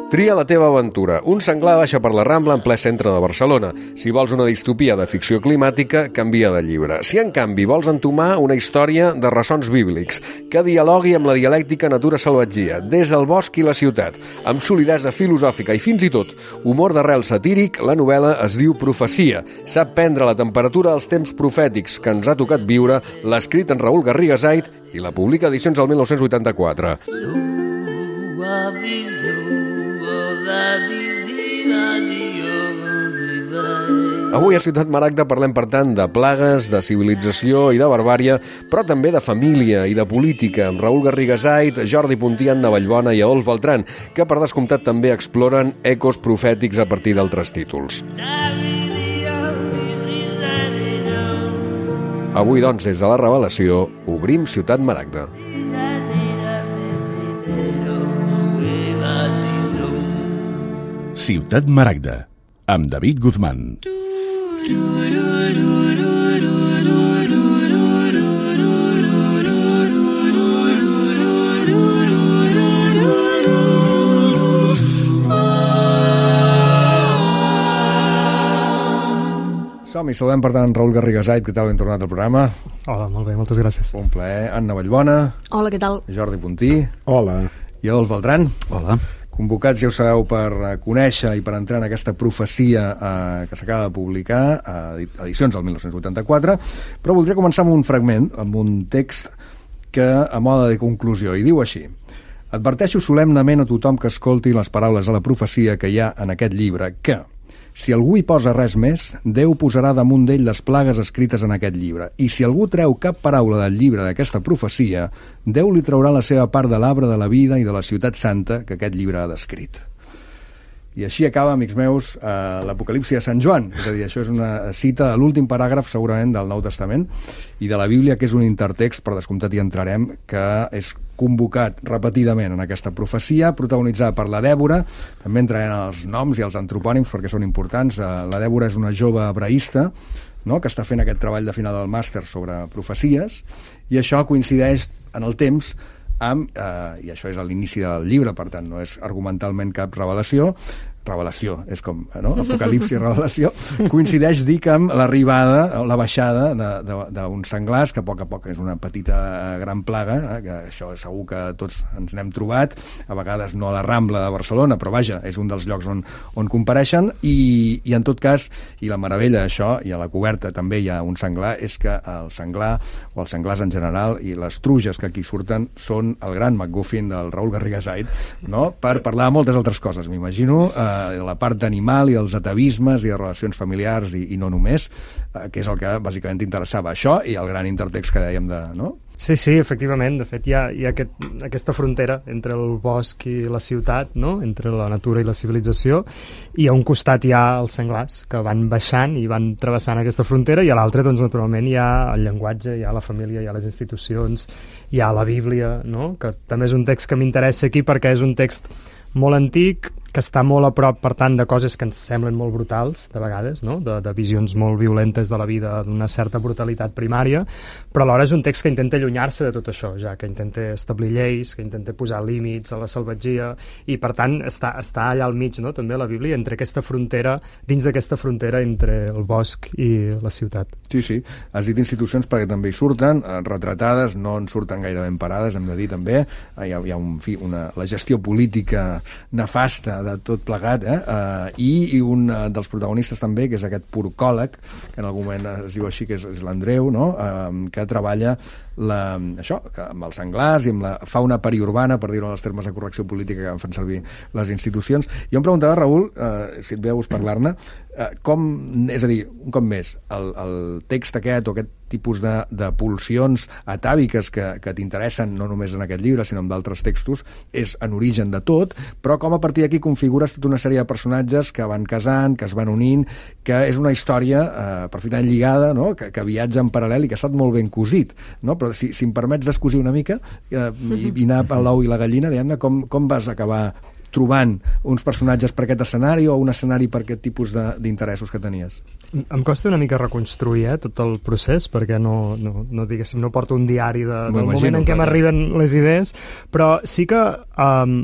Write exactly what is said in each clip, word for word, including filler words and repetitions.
Tria la teva aventura. Un senglar baixa per la Rambla en ple centre de Barcelona. Si vols una distopia de ficció climàtica, canvia de llibre. Si, en canvi, vols entomar una història de ressons bíblics que dialogui amb la dialèctica natura-salvatgia, des del bosc i la ciutat, amb solidesa filosòfica i fins i tot humor d'arrel satíric, la novel·la es diu Profecia. Sap prendre la temperatura dels temps profètics que ens ha tocat viure, l'ha escrit en Raül Garriga Zait i la publica Edicions del mil nou-cents vuitanta-quatre. Avui a Ciutat Maragda parlem, per tant, de plagues, de civilització i de barbària, però també de família i de política, amb Raül Garriga Zait, Jordi Puntí, Anna Vallbona i Adolf Beltrán, que per descomptat també exploren ecos profètics a partir d'altres títols. Avui, doncs, des de la Revelació, obrim Ciutat Maragda. Ciutat Maragda, amb David Guzmán. Som-hi, saludem per tant Raül Garriga Zait, què tal, ben tornat al programa? Hola, molt bé, moltes gràcies. Un plaer. Anna Vallbona. Hola, què tal? Jordi Puntí. Hola. I Adolf Beltrán. Hola. Convocats, ja ho sabeu, per conèixer i per entrar en aquesta profecia eh, que s'acaba de publicar a Edicions del mil nou-cents vuitanta-quatre, però voldria començar amb un fragment, amb un text que, a mode de conclusió, i diu així: adverteixo solemnement a tothom que escolti les paraules de la profecia que hi ha en aquest llibre, que, si algú hi posa res més, Déu posarà damunt d'ell les plagues escrites en aquest llibre. I si algú treu cap paraula del llibre d'aquesta profecia, Déu li traurà la seva part de l'arbre de la vida i de la ciutat santa que aquest llibre ha descrit. I així acaba, amics meus, eh, l'Apocalipsi de Sant Joan. És a dir, això és una cita de l'últim paràgraf, segurament, del Nou Testament, i de la Bíblia, que és un intertext, per descomptat hi entrarem, que és convocat repetidament en aquesta profecia, protagonitzada per la Dèbora. També entrarem en els noms i els antropònims, perquè són importants. Eh, la Dèbora és una jove hebraïsta, no?, que està fent aquest treball de final del màster sobre profecies, i això coincideix en el temps amb, eh, i això és a l'inici del llibre, per tant no és argumentalment cap revelació, revelació, és com, no? Apocalipsi i revelació, coincideix, dic, amb l'arribada, la baixada d'uns senglars, que a poc a poc és una petita gran plaga, eh? Que això segur que tots ens n'hem trobat, a vegades no a la Rambla de Barcelona, però vaja, és un dels llocs on, on compareixen, i, i en tot cas, i la meravella d'això, i a la coberta també hi ha un senglar, és que el senglar, o els senglars en general, i les truges que aquí surten, són el gran MacGuffin del Raül Garriga Zait, no?, per parlar de moltes altres coses, m'imagino, eh, la part d'animal i els atavismes i de relacions familiars i, i no només, eh, que és el que bàsicament t'interessava, això i el gran intertext que dèiem de... no? Sí, sí, efectivament. De fet, hi ha, hi ha aquest, aquesta frontera entre el bosc i la ciutat, no?, entre la natura i la civilització, i a un costat hi ha els senglars, que van baixant i van travessant aquesta frontera, i a l'altre, doncs, naturalment, hi ha el llenguatge, hi ha la família, hi ha les institucions, hi ha la Bíblia, no?, que també és un text que m'interessa aquí perquè és un text molt antic, que està molt a prop, per tant, de coses que ens semblen molt brutals, de vegades, no?, de, de visions molt violentes de la vida, d'una certa brutalitat primària, però alhora és un text que intenta allunyar-se de tot això, ja que intenta establir lleis, que intenta posar límits a la salvatgia, i per tant està, està allà al mig, no?, també la Bíblia, entre aquesta frontera, dins d'aquesta frontera entre el bosc i la ciutat. Sí, sí. Has dit institucions perquè també hi surten, eh, retratades, no en surten gaire ben parades, hem de dir també. Hi ha, hi ha un, fi, una, la gestió política nefasta de tot plegat, eh? Uh, i, i un uh, dels protagonistes també, que és aquest porcòleg, que en algun moment es diu així, que és, és l'Andreu, no?, uh, que treballa la, això, que amb els senglars i amb la fauna periurbana, per dir-ho en els termes de correcció política que fan servir les institucions. Jo em preguntava, Raül, uh, si et ve a gust parlar-ne, uh, com, és a dir, un cop més, el, el text aquest o aquest tipus de, de pulsions atàviques que, que t'interessen no només en aquest llibre, sinó en d'altres textos, és en origen de tot, però com a partir d'aquí configures tota una sèrie de personatges que van casant, que es van unint, que és una història eh, perfectament lligada, no?, que, que viatja en paral·lel i que ha estat molt ben cosit, no? Però si, si em permets descosir una mica eh, i, i anar a l'ou i la gallina, diguem-ne, com, com vas acabar trobant uns personatges per aquest escenari o un escenari per aquest tipus d'interessos que tenies? Em costa una mica reconstruir eh, tot el procés, perquè no, no, no, diguéssim, no porto un diari de, del moment en què m'arriben les idees, però sí que um,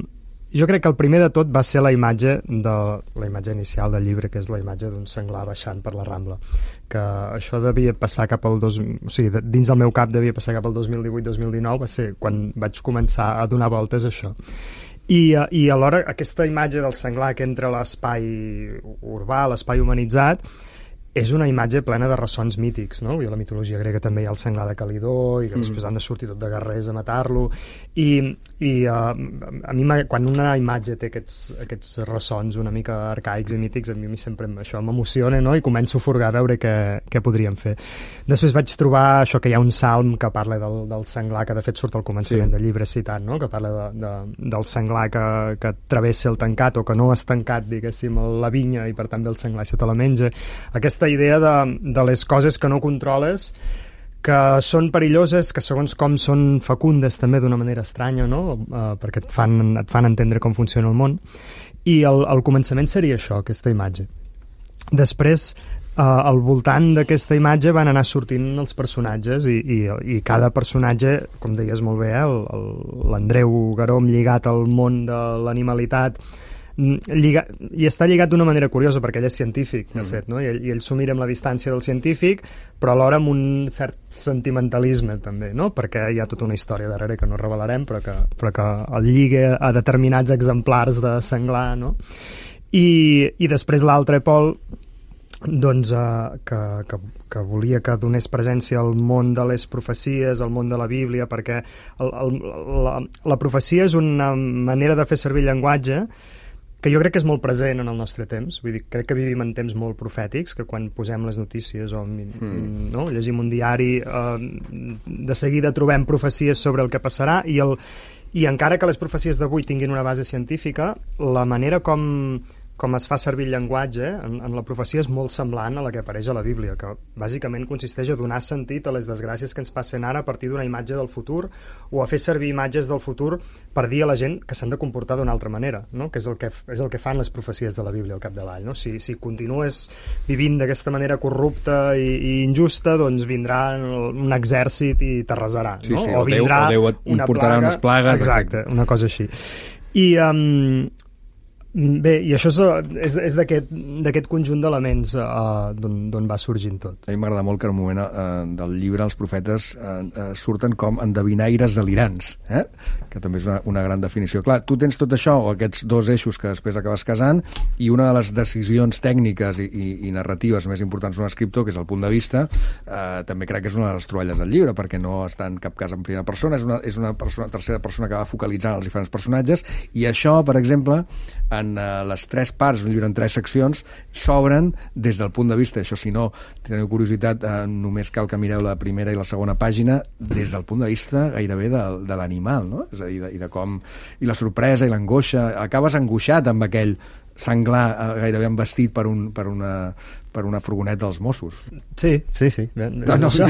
jo crec que el primer de tot va ser la imatge de la imatge inicial del llibre, que és la imatge d'un senglar baixant per la Rambla, que això devia passar cap al dos, o sigui, dins del meu cap devia passar cap al dos mil divuit dos mil dinou, va ser quan vaig començar a donar voltes a això. I, i alhora aquesta imatge del senglar que entra a l'espai urbà, l'espai humanitzat, és una imatge plena de ressons mítics, no? I a la mitologia grega també hi ha el senglar de Calidó i que mm. després han de sortir tot de guerrers a matar-lo i, i uh, a mi quan una imatge té aquests, aquests ressons una mica arcaics i mítics, a mi sempre això m'emociona, no? I començo a furgar a veure què, què podríem fer. Després vaig trobar això que hi ha un salm que parla del, del senglar, que de fet surt al començament sí. del llibre citat, no? Que parla de, de, del senglar que, que travessa el tancat o que no és tancat, diguéssim, la vinya i per tant el senglar se te la menja. Aquesta idea de, de les coses que no controles, que són perilloses, que segons com són fecundes també d'una manera estranya, no? Uh, perquè et fan, et fan entendre com funciona el món. I el, el començament seria això, aquesta imatge. Després, uh, al voltant d'aquesta imatge van anar sortint els personatges i, i, i cada personatge, com deies molt bé, eh, l'Andreu Garóm lligat al món de l'animalitat, Lliga, i està lligat d'una manera curiosa perquè ell és científic, de fet, no? I ell, i ell s'ho mira amb la distància del científic, però alhora amb un cert sentimentalisme també, no? Perquè hi ha tota una història darrere que no revelarem, però que, però que el lliga a determinats exemplars de senglar, no? I, i després l'altre pol doncs, uh, que, que, que volia que donés presència al món de les profecies, al món de la Bíblia, perquè el, el, la, la profecia és una manera de fer servir el llenguatge que jo crec que és molt present en el nostre temps. Vull dir, crec que vivim en temps molt profètics, que quan posem les notícies o mm. no, llegim un diari, eh, de seguida trobem profecies sobre el que passarà, i, el, i encara que les profecies d'avui tinguin una base científica, la manera com, com es fa servir el llenguatge en, en la profecia és molt semblant a la que apareix a la Bíblia, que bàsicament consisteix a donar sentit a les desgràcies que ens passen ara a partir d'una imatge del futur, o a fer servir imatges del futur per dir a la gent que s'han de comportar d'una altra manera, no? Que és el que, és el que fan les profecies de la Bíblia al capdavall, no? Si, si continues vivint d'aquesta manera corrupta i, i injusta, doncs vindrà un exèrcit i t'arrasarà, sí, no? Sí, o vindrà Déu, o Déu una portarà plaga, unes plagues. Exacte, una cosa així. I... Um, Bé, i això és, és d'aquest conjunt d'elements uh, d'on va sorgint tot. A mi m'agrada molt que en un moment uh, del llibre els profetes uh, uh, surten com endevinaires delirants, eh? Que també és una, una gran definició. Clar, tu tens tot això, o aquests dos eixos que després acabes casant, i una de les decisions tècniques i, i, i narratives més importants d'un escriptor, que és el punt de vista, uh, també crec que és una de les troballes del llibre, perquè no està en cap cas en primera persona, és una, és una persona, tercera persona que va focalitzant els diferents personatges, i això, per exemple, en uh, les tres parts, un llibre en tres seccions, s'obren des del punt de vista, això si no teniu curiositat, uh, només cal que mireu la primera i la segona pàgina, des del punt de vista gairebé de, de l'animal, no? És a dir, de, i de com, i la sorpresa i l'angoixa, acabes angoixat amb aquell senglar uh, gairebé envestit per, un, per, una, per una furgoneta dels Mossos. Sí, sí, sí. No, no, la,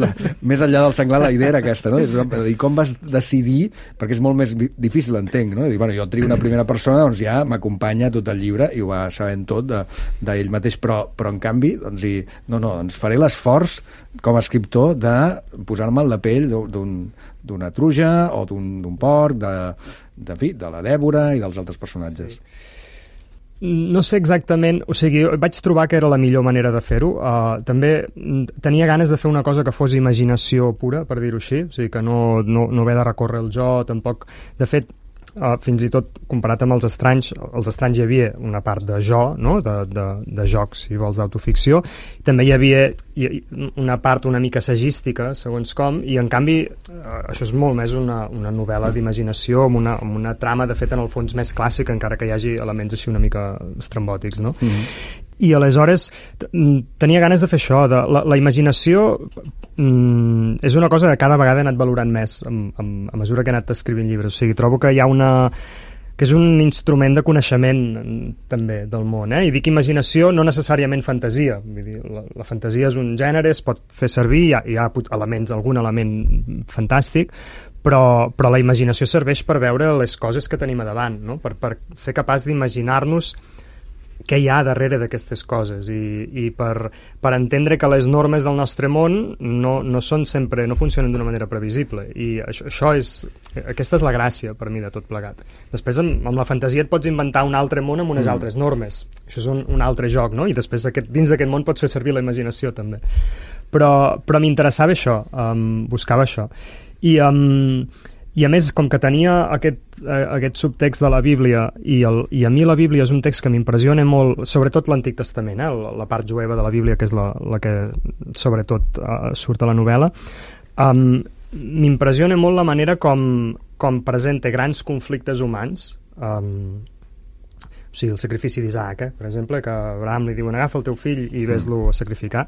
la, més enllà del senglar, la idea era aquesta, no? I com vas decidir, perquè és molt més difícil, entenc, no? I dir, bueno, jo trio una primera persona, doncs ja m'acompanya tot el llibre i ho va sabent tot d'ell de, mateix, però, però en canvi, doncs, i, no, no, doncs faré l'esforç com a escriptor de posar-me en la pell d'un d'una truja o d'un porc, de, de, fi, de la Dèbora i dels altres personatges. Sí. No sé exactament, o sigui, vaig trobar que era la millor manera de fer-ho. Uh, també tenia ganes de fer una cosa que fos imaginació pura, per dir-ho així, o sigui, que no, no, no haver de recórrer el jo, tampoc... De fet, Uh, fins i tot comparat amb els estranys, els estranys hi havia una part de jo, no? de, de, de jocs, si vols, d'autoficció, també hi havia una part una mica sagística, segons com, i en canvi uh, això és molt més una, una novel·la d'imaginació amb una, amb una trama, de fet, en el fons més clàssica, encara que hi hagi elements així una mica estrambòtics, no? Mm-hmm. I aleshores tenia ganes de fer això, de, la, la imaginació mm, és una cosa que cada vegada he anat valorant més a, a, a mesura que he anat escrivint llibres, o sigui, trobo que hi ha una que és un instrument de coneixement també del món, eh? I dic imaginació, no necessàriament fantasia. Vull dir, la, la fantasia és un gènere, es pot fer servir, hi ha, hi ha elements, algun element fantàstic, però, però la imaginació serveix per veure les coses que tenim a davant, no? Per, per ser capaç d'imaginar-nos què hi ha darrere d'aquestes coses i, i per, per entendre que les normes del nostre món no, no són sempre, no funcionen d'una manera previsible, i això, això és, aquesta és la gràcia per mi de tot plegat. Després amb, amb la fantasia et pots inventar un altre món amb unes mm. altres normes, això és un, un altre joc, no? I després aquest, dins d'aquest món pots fer servir la imaginació també, però, però m'interessava això, um, buscava això, i um, i a més, com que tenia aquest, eh, aquest subtext de la Bíblia, i, el, i a mi la Bíblia és un text que m'impressiona molt, sobretot l'Antic Testament, eh, la, la part jueva de la Bíblia, que és la, la que sobretot eh, surt a la novel·la, um, m'impressiona molt la manera com, com presenta grans conflictes humans, um, o sigui, el sacrifici d'Isaac, eh, per exemple, que Abraham li diuen agafa el teu fill i ves-lo a sacrificar.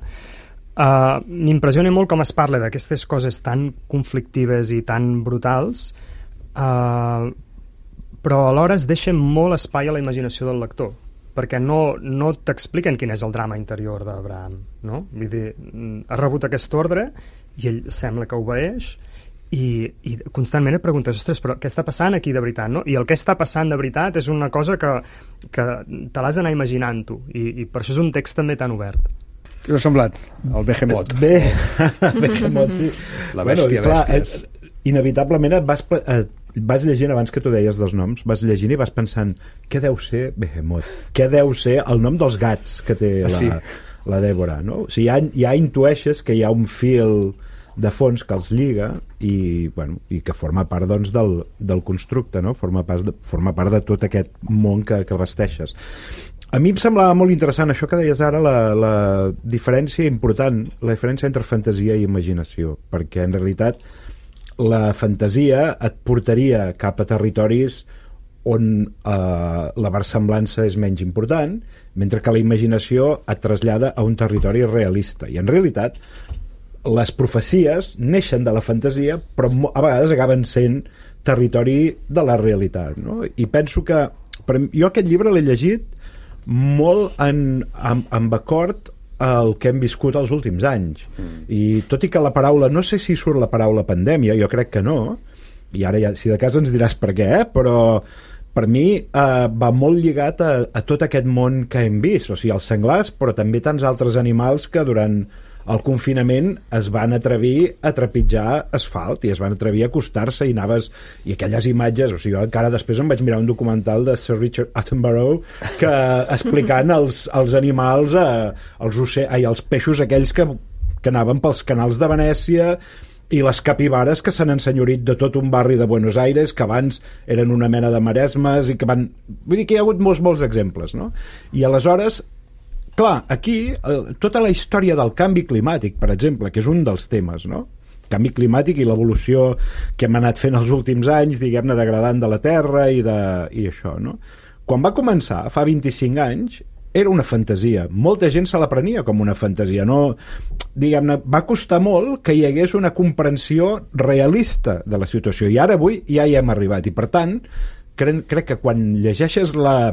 Uh, m'impressiona molt com es parla d'aquestes coses tan conflictives i tan brutals, uh, però alhora es deixa molt espai a la imaginació del lector, perquè no, no t'expliquen quin és el drama interior d'Abraham, no? Vull dir, ha rebut aquest ordre i ell sembla que obeeix, i, i constantment et preguntes, ostres, però què està passant aquí de veritat, no? I el que està passant de veritat és una cosa que, que te l'has d'anar imaginant tu, i, i per això és un text també tan obert. Què us ha semblat? El Behemoth. Bé, Behemoth, sí. La bèstia, bueno, clar, bèsties. Eh, inevitablement et vas, eh, vas llegint, abans que tu deies dels noms, vas llegint i vas pensant, què deu ser Behemoth? Què deu ser el nom dels gats que té la, sí. la Dèbora, no? O sigui, ja, ja intueixes que hi ha un fil de fons que els lliga i, bueno, i que forma part, doncs, del, del constructe, no? Forma part de, forma part de tot aquest món que, que vesteixes. A mi em semblava molt interessant això que deies ara, la, la diferència important, la diferència entre fantasia i imaginació, perquè en realitat la fantasia et portaria cap a territoris on eh, la versemblança és menys important, mentre que la imaginació et trasllada a un territori realista. I en realitat les profecies neixen de la fantasia, però a vegades acaben sent territori de la realitat, no? I penso que per, jo aquest llibre l'he llegit molt en, en, en acord el que hem viscut els últims anys, mm. i tot i que la paraula, no sé si surt la paraula pandèmia, jo crec que no, i ara ja, si de cas ens diràs per què, eh? Però per mi eh, va molt lligat a, a tot aquest món que hem vist, o sigui, els senglars, però també tants altres animals que durant el confinament es van atrevir a trepitjar asfalt i es van atrevir a acostar-se i anaves, i aquelles imatges, o sigui, jo encara després em vaig mirar un documental de Sir Richard Attenborough que explicant els, els animals, eh, els, oce... Ai, els peixos aquells que, que anaven pels canals de Venècia, i les capibares que s'han ensenyorit de tot un barri de Buenos Aires que abans eren una mena de maresmes i que van... Vull dir que hi ha hagut molts, molts exemples, no? I aleshores, clar, aquí tota la història del canvi climàtic, per exemple, que és un dels temes, no? Canvi climàtic i l'evolució que hem anat fent els últims anys, diguem-ne, degradant de la Terra i, de, i això, no? Quan va començar, fa vint-i-cinc anys, era una fantasia. Molta gent se la prenia com una fantasia, no? Diguem-ne, va costar molt que hi hagués una comprensió realista de la situació, i ara avui ja hi hem arribat, i per tant, crec, crec que quan llegeixes la,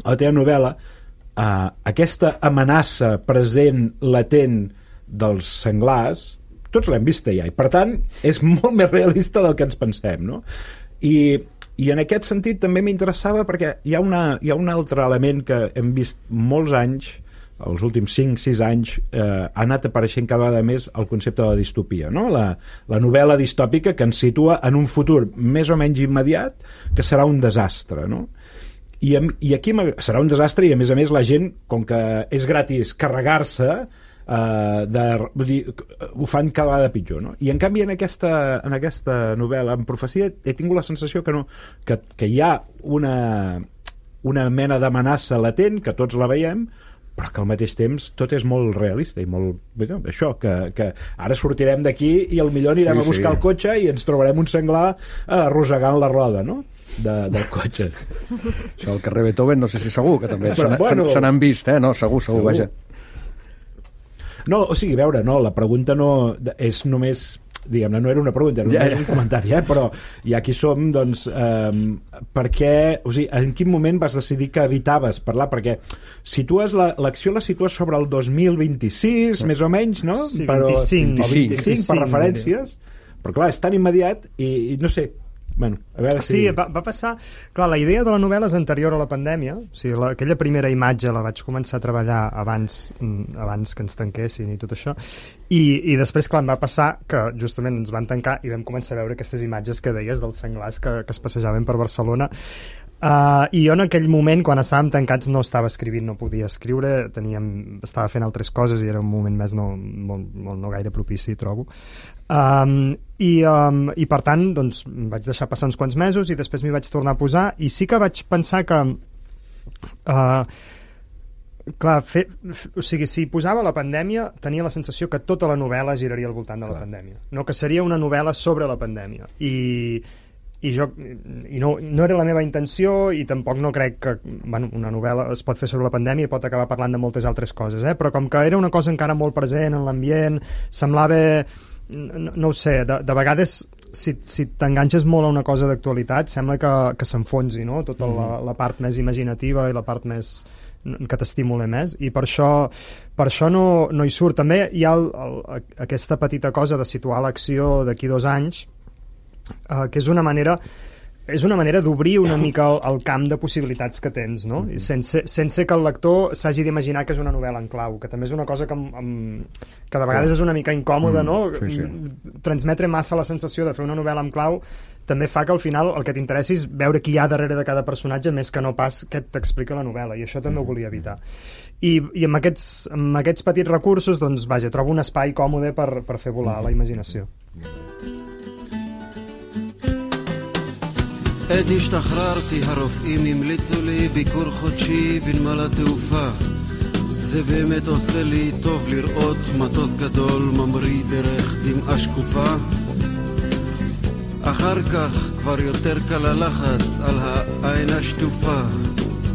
la teva novel·la, Uh, aquesta amenaça present, latent dels senglars, tots l'hem vista ja, i per tant és molt més realista del que ens pensem, no? I, i en aquest sentit també m'interessava perquè hi ha, una, hi ha un altre element que hem vist molts anys, els últims cinc sis anys, eh, ha anat apareixent cada vegada més el concepte de la distopia, no? La, la novel·la distòpica que ens situa en un futur més o menys immediat que serà un desastre, no? I, i aquí serà un desastre, i a més a més la gent, com que és gratis carregar-se, eh, de, vull dir, ho fan cada vegada pitjor, no? I en canvi en aquesta, en aquesta novel·la, en profecia, he tingut la sensació que, no, que, que hi ha una, una mena d'amenaça latent, que tots la veiem, però que al mateix temps tot és molt realista i molt... Bé, això, que, que ara sortirem d'aquí i al millor anirem sí, a buscar sí. el cotxe i ens trobarem un senglar eh, arrossegant la roda, no? De, del cotxe. Això al carrer Beethoven no sé si segur, que també se n'han bueno, vist, eh? No, segur, segur, segur, vaja. No, o sigui, a veure, no, la pregunta no és només diguem-ne, no era una pregunta, era ja, ja. un comentari, eh? Però ja aquí som, doncs, eh, per què, o sigui, en quin moment vas decidir que evitaves parlar? Perquè situes la, l'acció la situes sobre el dos mil vint-i-sis, sí. més o menys, no? Sí, però, vint-i-cinc. O vint-i-cinc, per referències, però clar, és tan immediat i, i no sé. Bueno, a veure si... Sí, va, va passar... Clar, la idea de la novel·la és anterior a la pandèmia. O sigui, la, aquella primera imatge la vaig començar a treballar abans, abans que ens tanquessin i tot això. I, i després, clar, em va passar que justament ens van tancar i vam començar a veure aquestes imatges que deies dels senglars que, que es passejaven per Barcelona. Uh, i jo en aquell moment, quan estàvem tancats, no estava escrivint, no podia escriure, teníem, estava fent altres coses i era un moment més no, molt, molt no gaire propici, trobo. Um, i, um, i per tant doncs, vaig deixar passar uns quants mesos i després m'hi vaig tornar a posar i sí que vaig pensar que uh, clar, fer, f, o sigui, si posava la pandèmia tenia la sensació que tota la novel·la giraria al voltant de la clar. pandèmia, no que seria una novel·la sobre la pandèmia i, i jo i no, no era la meva intenció i tampoc no crec que bueno, una novel·la es pot fer sobre la pandèmia i pot acabar parlant de moltes altres coses, eh? Però com que era una cosa encara molt present en l'ambient, semblava no, no ho sé, de, de vegades si, si t'enganxes molt a una cosa d'actualitat sembla que, que s'enfonsi, no? Tota mm. la, la part més imaginativa i la part més que t'estimula més i per això, per això no, no hi surt. També hi ha el, el, aquesta petita cosa de situar l'acció d'aquí dos anys eh, que és una manera és una manera d'obrir una mica el, el camp de possibilitats que tens, no? Mm-hmm. sense, sense que el lector s'hagi d'imaginar que és una novel·la en clau, que també és una cosa que, amb, que de vegades és una mica incòmoda, mm, no? Sí, sí. Transmetre massa la sensació de fer una novel·la en clau també fa que al final el que t'interessi és veure qui hi ha darrere de cada personatge més que no pas què t'explica la novel·la, i això també ho volia evitar. I, i amb, aquests, amb aquests petits recursos, doncs, vaja, trobo un espai còmode per, per fer volar la imaginació. עת השתחררתי, הרופאים המליצו לי ביקור חודשי בנמל התעופה. זה באמת עושה לי טוב לראות מטוס גדול ממריא דרך דמעה שקופה. אחר כך כבר יותר קל הלחץ על העין השטופה.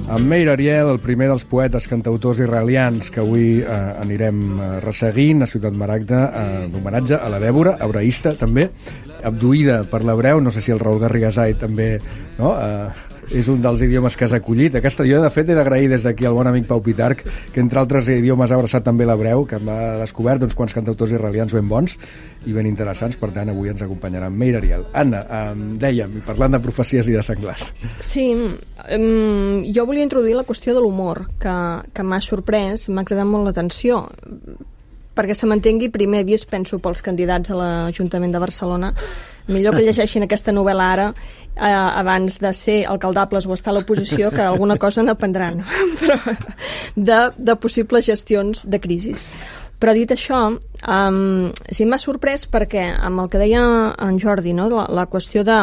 En Meir Ariel, el primer dels poetes cantautors israelians que avui eh, anirem eh, resseguint a Ciutat Maragda, eh, d'homenatge a la Dèbora, hebreïsta també, abduïda per l'hebreu, no sé si el Raül Garrigasai també, no? Eh, és un dels idiomes que has acollit. Aquesta, jo de fet he d'agrair des d'aquí al bon amic Pau Pitarch, que entre altres idiomes ha abraçat també l'hebreu, que m'ha descobert uns quants cantautors israelians ben bons i ben interessants, per tant avui ens acompanyarà Meir Ariel. Anna, eh, dèiem, parlant de profecies i de senglars. Sí, um, jo volia introduir la qüestió de l'humor, que, que m'ha sorprès, m'ha cridat molt l'atenció, perquè se m'entengui, primer he vist, penso, pels candidats a l'Ajuntament de Barcelona, millor que llegeixin aquesta novel·la ara eh, abans de ser alcaldables o estar a l'oposició, que alguna cosa n'aprendran, però de, de possibles gestions de crisis. Però dit això, um, sí m'ha sorprès perquè amb el que deia en Jordi, no? la, la qüestió de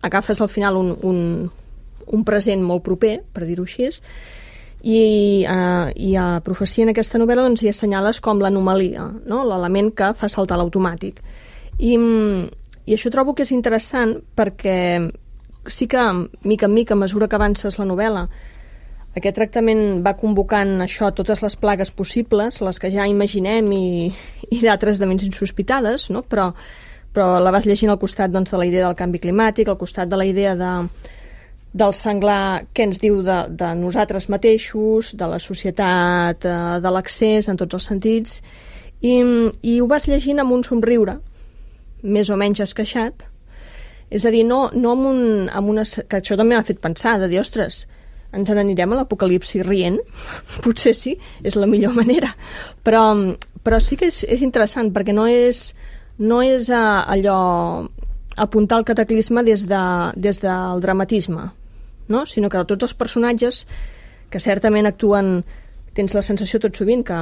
agafes al final un, un, un present molt proper, per dir-ho així, i, uh, i a Profecia en aquesta novel·la doncs, hi assenyales com l'anomalia, no? L'element que fa saltar l'automàtic. I, I això trobo que és interessant perquè sí que, mica en mica, a mesura que avances la novel·la, aquest tractament va convocant això, totes les plagues possibles, les que ja imaginem i, i d'altres de menys insospitades, no? però, però la vas llegint al costat doncs, de la idea del canvi climàtic, al costat de la idea de del senglar que ens diu de, de nosaltres mateixos, de la societat, de l'accés en tots els sentits, i, i ho vas llegint amb un somriure, més o menys esqueixat, és a dir, no, no amb, un, amb una... que això també m'ha fet pensar, de dir, ostres, ens n'anirem a l'apocalipsi rient? Potser sí, és la millor manera, però, però sí que és, és interessant, perquè no és, no és a, allò apuntar el cataclisme des, de, des del dramatisme, no? Sinó que tots els personatges que certament actuen, tens la sensació tot sovint que,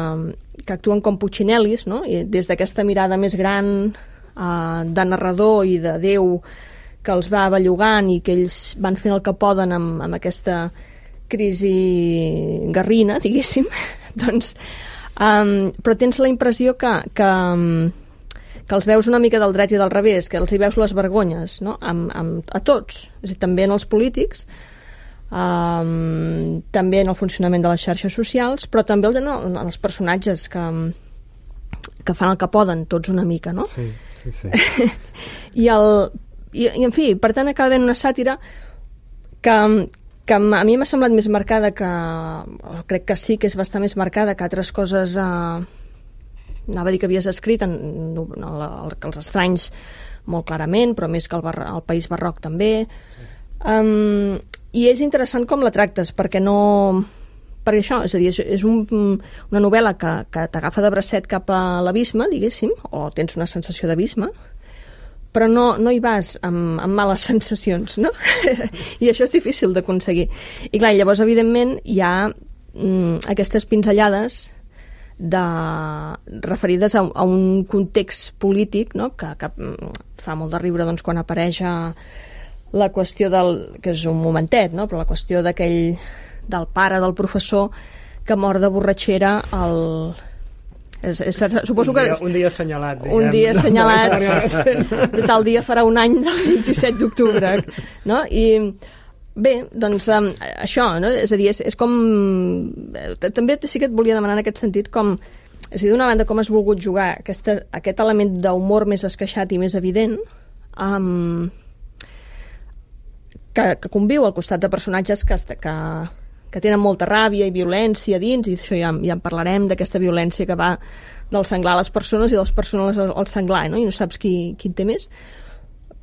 que actuen com Puccinellis, no? I des d'aquesta mirada més gran eh, de narrador i de Déu que els va bellugant i que ells van fent el que poden amb, amb aquesta crisi garrina, diguéssim, doncs, um, però tens la impressió que, que, que els veus una mica del dret i del revés, que els hi veus les vergonyes, no? Amb, amb, a tots, és a dir, també en els polítics, um, també en el funcionament de les xarxes socials, però també en, en els personatges que, que fan el que poden, tots una mica, no? Sí, sí, sí. I, el, i, I, en fi, per tant, acaba havent una sàtira que, que a mi m'ha semblat més marcada que... O crec que sí que és bastant més marcada que altres coses... Eh, anava a dir que havies escrit, en, no, el, el, els estranys molt clarament, però més que el, bar, el País Barroc també. Sí. Um, I és interessant com la tractes, perquè no... Perquè això, és a dir, és, és un, una novel·la que, que t'agafa de bracet cap a l'abisme, diguéssim, o tens una sensació d'abisme, però no, no hi vas amb, amb males sensacions, no? I això és difícil d'aconseguir. I clar, llavors, evidentment, hi ha mm, aquestes pinzellades de, referides a, a un context polític, no? que, que fa molt de riure doncs, quan apareix a la qüestió del... que és un momentet, no? Però la qüestió d'aquell... del pare del professor que mor de borratxera al... És, és, suposo que... Un dia, un dia assenyalat. Diguem. Un dia assenyalat. De tal dia farà un any del vint-i-set d'octubre. No? I bé, doncs um, això, no? És a dir, és, és com... També sí que et volia demanar en aquest sentit com... És a dir, d'una banda, com has volgut jugar aquesta, aquest element d'humor més esqueixat i més evident um, que, que conviu al costat de personatges que, que, que tenen molta ràbia i violència dins, i això ja, ja en parlarem, d'aquesta violència que va del senglar a les persones i de les persones al senglar, no? I no saps qui, qui té més.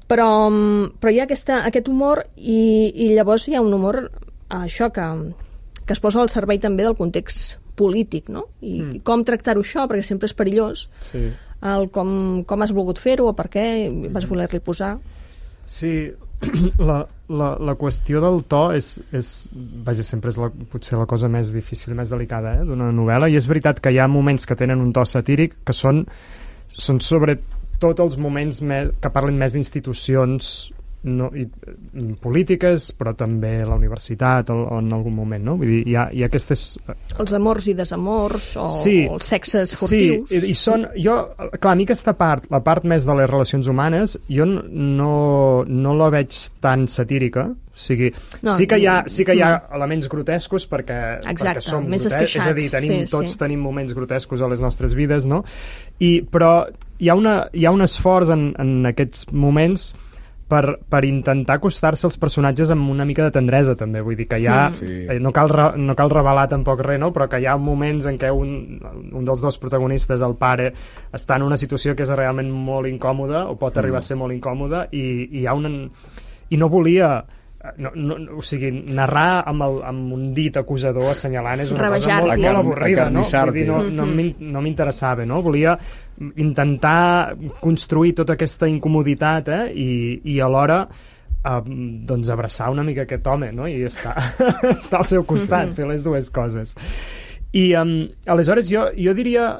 Però, però hi ha aquesta, aquest humor i, i llavors hi ha un humor això que, que es posa al servei també del context polític, no? I, mm. i com tractar-ho això, perquè sempre és perillós. Sí. El com, com has volgut fer-ho o per què vas voler-li posar. Sí, la, la, la qüestió del to és, és vaja, sempre és la, potser la cosa més difícil, més delicada eh, d'una novel·la, i és veritat que hi ha moments que tenen un to satíric que són, són sobretot els moments més, que parlen més d'institucions no, i, polítiques, però també la universitat o, o en algun moment, no? Vull dir, hi ha, hi ha aquestes... Els amors i desamors o, sí, o els sexes furtius. Sí, i, i són... Jo, clar, a mi aquesta part, la part més de les relacions humanes, jo no, no la veig tan satírica, o sigui, no, sí que hi ha, sí que hi ha elements grotescos perquè, exacte, perquè som més grotescos, és a dir, tenim, sí, tots sí. tenim moments grotescos a les nostres vides, no? I, però hi ha, una, hi ha un esforç en, en aquests moments per, per intentar acostar-se als personatges amb una mica de tendresa, també. Vull dir que hi ha... Sí. Eh, no, cal re, no cal revelar tampoc res, no? Però que hi ha moments en què un, un dels dos protagonistes, el pare, està en una situació que és realment molt incòmoda, o pot arribar mm. a ser molt incòmoda, i, i hi ha una... I no volia... No, no, o sigui, narrar amb, el, amb un dit acusador assenyalant és una cosa molt, molt avorrida, no? Vull dir, no, no, no m'interessava, no? Volia intentar construir tota aquesta incomoditat eh? I, i alhora eh, doncs abraçar una mica aquest home, no? I estar, estar al seu costat, fer les dues coses. I um, aleshores jo, jo diria...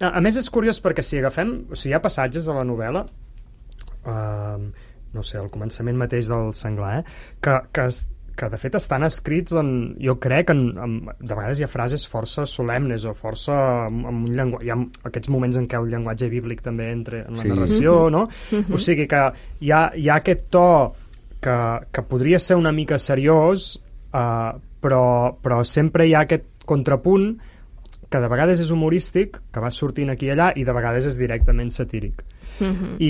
A, a més és curiós perquè si agafem... O sigui, hi ha passatges a la novel·la... Uh, no sé, al començament mateix del senglar, eh? que, que, que de fet estan escrits en, jo crec, en, en, de vegades hi ha frases força solemnes o força amb, amb un llenguatge, hi ha aquests moments en què el llenguatge bíblic també entra en la sí. narració, no? Mm-hmm. O sigui que hi ha, hi ha aquest to que, que podria ser una mica seriós, eh, però, però sempre hi ha aquest contrapunt que de vegades és humorístic, que va sortint aquí i allà, i de vegades és directament satíric. Uh-huh. I,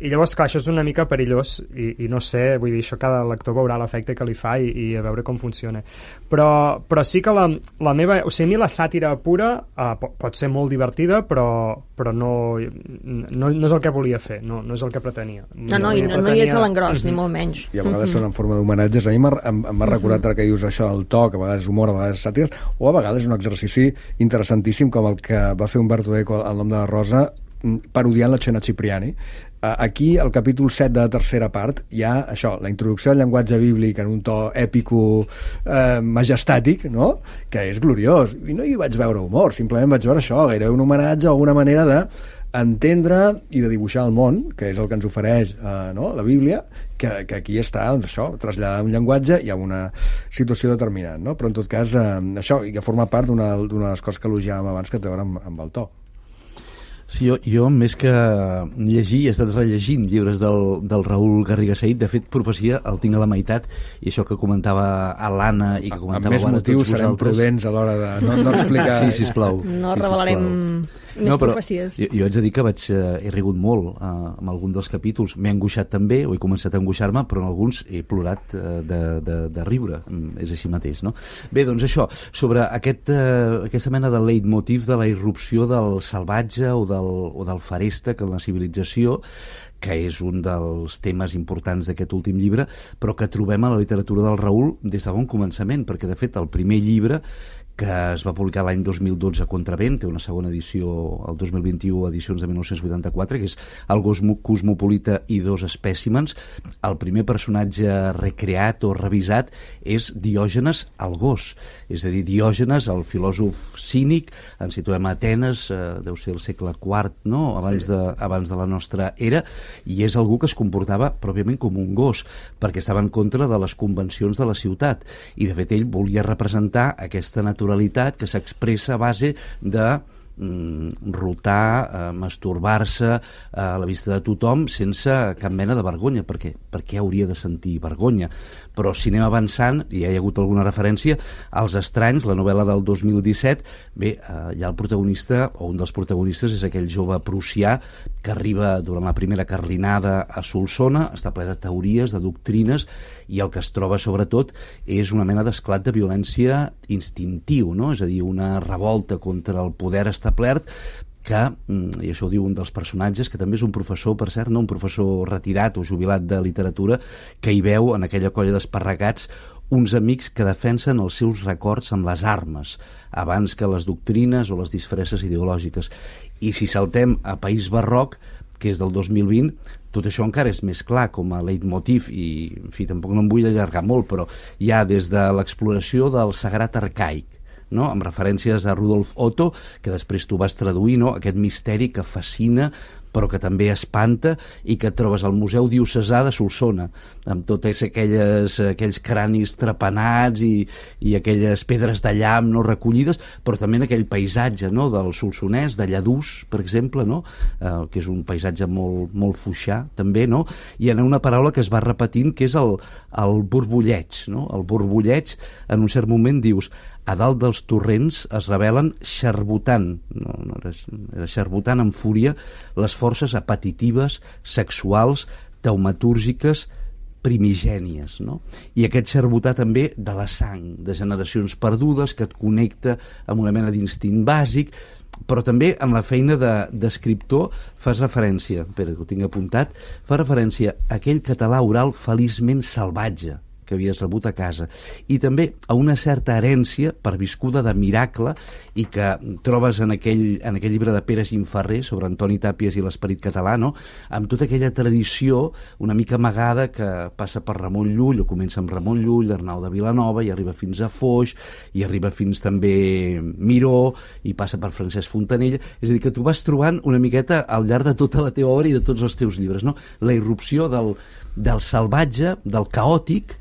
i llavors, clar, això és una mica perillós i, i no sé, vull dir, això cada lector veurà l'efecte que li fa i, i a veure com funciona, però, però sí que la, la meva, o sigui, a mi la sàtira pura uh, pot, pot ser molt divertida, però, però no, no, no és el que volia fer, no, no és el que pretenia. No, no, i no, pretenia... no hi és a l'engròs, uh-huh. ni molt menys. I a vegades uh-huh. són en forma d'homenatges. A mi m'ha uh-huh. recordat ara que dius això, el to, que a vegades és humor, a vegades és sàtires, o a vegades és un exercici interessantíssim com el que va fer Umberto Eco al Nom de la Rosa, parodiant la Cena Cipriani. Aquí, al capítol set de la tercera part, hi ha això, la introducció al llenguatge bíblic en un to èpico eh, majestàtic, no? Que és gloriós. I no hi vaig veure humor, simplement vaig veure això, gairebé un homenatge o una manera de entendre i de dibuixar el món, que és el que ens ofereix eh, no? la Bíblia, que, que aquí està, doncs això, traslladar un llenguatge i a una situació determinant, no? Però en tot cas, eh, això, i que forma part d'una de les coses que elogiàvem abans, que té a veure amb, amb el to. Sí, jo, jo, més que llegir, he estat rellegint llibres del, del Raül Garriga Sahid. De fet, Profecia el tinc a la meitat, i això que comentava a l'Anna i que comentava amb més motius serem prudents a l'hora de no, no explicar. Sí, sisplau. No sí, revelarem més no, però profecies. Jo, jo haig de dir que vaig, eh, he rigut molt eh, amb algun dels capítols. M'he angoixat també, o he començat a angoixar-me, però en alguns he plorat eh, de, de, de riure. És així mateix, no? Bé, doncs això, sobre aquest, eh, aquesta mena de leitmotiv de la irrupció del salvatge o del, o del feréstec en la civilització, que és un dels temes importants d'aquest últim llibre, però que trobem a la literatura del Raül des de bon començament, perquè, de fet, el primer llibre, que es va publicar l'any dos mil dotze a Contravent, té una segona edició el dos mil vint-i-u, edicions de mil nou-cents vuitanta-quatre, que és El gos cosmopolita i dos espècimens. El primer personatge recreat o revisat és Diògenes el gos, és a dir, Diògenes, el filòsof cínic, ens situem a Atenes, eh, deu ser el segle quart, no? abans, sí, de, sí, sí. abans de la nostra era, i és algú que es comportava pròpiament com un gos, perquè estava en contra de les convencions de la ciutat, i de fet ell volia representar aquesta naturalesa que s'expressa a base de mm, rotar, eh, masturbar-se a la vista de tothom sense cap mena de vergonya. Per què? Per què hauria de sentir vergonya? Però si anem avançant, i ja hi ha hagut alguna referència, als Estranys, la novel·la del dos mil disset, bé, eh, ja el protagonista, o un dels protagonistes, és aquell jove prussià que arriba durant la primera carlinada a Solsona, està ple de teories, de doctrines, i el que es troba sobretot és una mena d'esclat de violència instintiu, no? És a dir, una revolta contra el poder establert que, i això ho diu un dels personatges, que també és un professor, per cert, no un professor retirat o jubilat de literatura, que hi veu en aquella colla d'esparragats uns amics que defensen els seus records amb les armes, abans que les doctrines o les disfresses ideològiques. I si saltem a País Barroc, que és del dos mil vint, tot això encara és més clar com a leitmotiv, i en fi, tampoc no em vull allargar molt, però hi ha des de l'exploració del sagrat arcaic, no? Amb referències a Rudolf Otto, que després tu vas traduir, no? Aquest misteri que fascina però que també espanta, i que et trobes al Museu Diocesà de Solsona, amb totes aquelles, aquells cranis trepanats i, i aquelles pedres de llamp no recollides, però també en aquell paisatge, no? Del Solsonès, de Lladús, per exemple, no? eh, que és un paisatge molt, molt fuixà, també, no? I hi ha una paraula que es va repetint, que és el, el borbulleig, no? El borbulleig, en un cert moment dius, a dalt dels torrents es revelen xarbotant, no, no era, era xarbotant amb fúria, les forces apetitives, sexuals, taumatúrgiques, primigènies, no? I aquest xarbotar també de la sang, de generacions perdudes, que et connecta amb una mena d'instint bàsic, però també en la feina d'escriptor fas referència, espera que ho tinc apuntat, fa referència a aquell català oral feliçment salvatge que havies rebut a casa, i també a una certa herència perviscuda de miracle, i que trobes en aquell, en aquell llibre de Pere Gimferrer sobre Antoni Tàpies i l'esperit català, no? Amb tota aquella tradició una mica amagada que passa per Ramon Llull, o comença amb Ramon Llull, Arnau de Vilanova, i arriba fins a Foix, i arriba fins també Miró, i passa per Francesc Fontanella. És a dir, que tu vas trobant una miqueta al llarg de tota la teva obra i de tots els teus llibres, no? La irrupció del, del salvatge, del caòtic,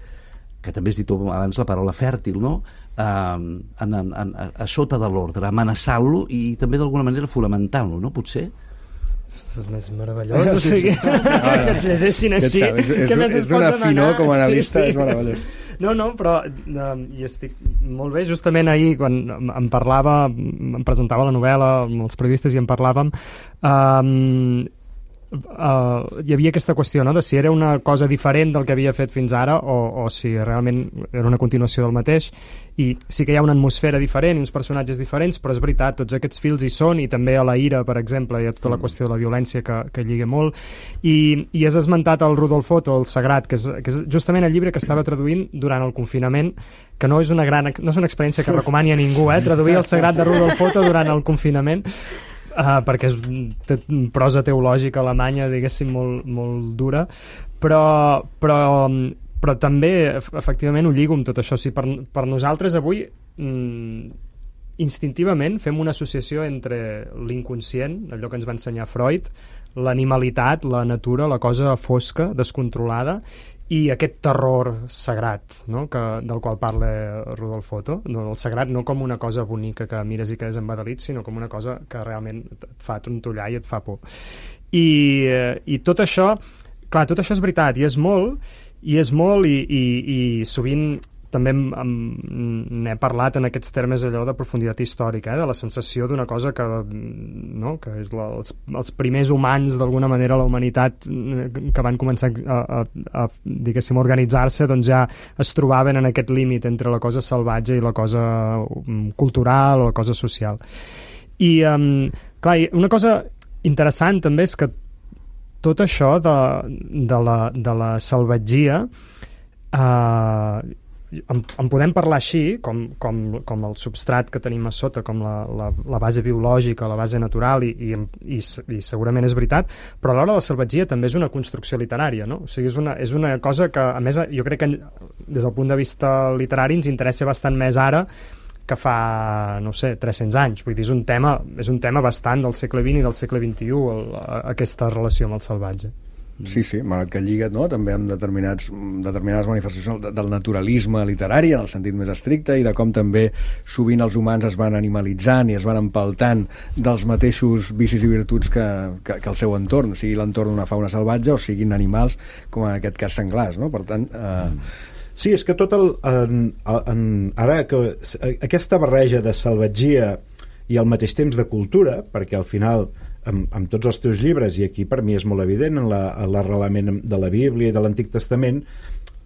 que també has dit abans la paraula fèrtil, no? Uh, en, en, en, a sota de l'ordre, amenaçant-lo i també d'alguna manera fonamentant-lo, no? Potser? És més meravellós, o sigui, que et llegeixin així. És, és, és d'una finor com a analista, sí, sí. És meravellós. No, no, però uh, hi estic molt bé. Justament ahir, quan em parlava, em presentava la novel·la amb els periodistes i en parlàvem, um, Uh, hi havia aquesta qüestió, no?, de si era una cosa diferent del que havia fet fins ara o, o si realment era una continuació del mateix, i sí que hi ha una atmosfera diferent i uns personatges diferents, però és veritat, tots aquests fils hi són, i també a la ira, per exemple, hi ha tota la qüestió de la violència que, que lliga molt, i, i has esmentat el Rudolf Otto, el Sagrat, que és, que és justament el llibre que estava traduint durant el confinament, que no és una gran, no és una experiència que recomani a ningú, eh, traduir el Sagrat de Rudolf Otto durant el confinament, Uh, perquè és te, prosa teològica alemanya, diguéssim, molt, molt dura, però, però, però també efectivament ho lligo amb tot això. O sigui, per, per nosaltres avui mm, instintivament fem una associació entre l'inconscient, allò que ens va ensenyar Freud, l'animalitat, la natura, la cosa fosca, descontrolada, i aquest terror sagrat, no?, que, del qual parla Rudolf Otto, no, el sagrat no com una cosa bonica que mires i quedes embadalit, sinó com una cosa que realment et fa trontollar i et fa por. I, i tot això, clar, tot això és veritat, i és molt, i és molt, i, i, i sovint també n'he parlat en aquests termes allò de profunditat històrica, eh? De la sensació d'una cosa que, no? Que és la, els, els primers humans d'alguna manera a la humanitat que van començar a, a, a diguéssim, organitzar-se, doncs ja es trobaven en aquest límit entre la cosa salvatge i la cosa cultural o la cosa social. I um, clar, una cosa interessant també és que tot això de, de, la, de la salvatgia eh, En, en podem parlar així, com, com, com el substrat que tenim a sota, com la, la, la base biològica, la base natural, i, i, i, i segurament és veritat, però alhora la salvatgia també és una construcció literària, no? O sigui, és una, és una cosa que, a més, jo crec que des del punt de vista literari ens interessa bastant més ara que fa, no sé, tres-cents anys. Vull dir, és un tema, és un tema bastant del segle vint i del segle vint-i-u, el, aquesta relació amb el salvatge. Sí, sí, malgrat que lliga, no?, també amb determinats, determinades manifestacions del naturalisme literari, en el sentit més estricte, i de com també sovint els humans es van animalitzant i es van empaltant dels mateixos vicis i virtuts que, que, que el seu entorn, sigui l'entorn d'una fauna salvatge o siguin animals, com en aquest cas senglars, no? Per tant... Eh... Sí, és que tot el... En, en, ara, que aquesta barreja de salvatgia i al mateix temps de cultura, perquè al final... Amb, amb tots els teus llibres, i aquí per mi és molt evident en l'arrelament de la Bíblia i de l'Antic Testament,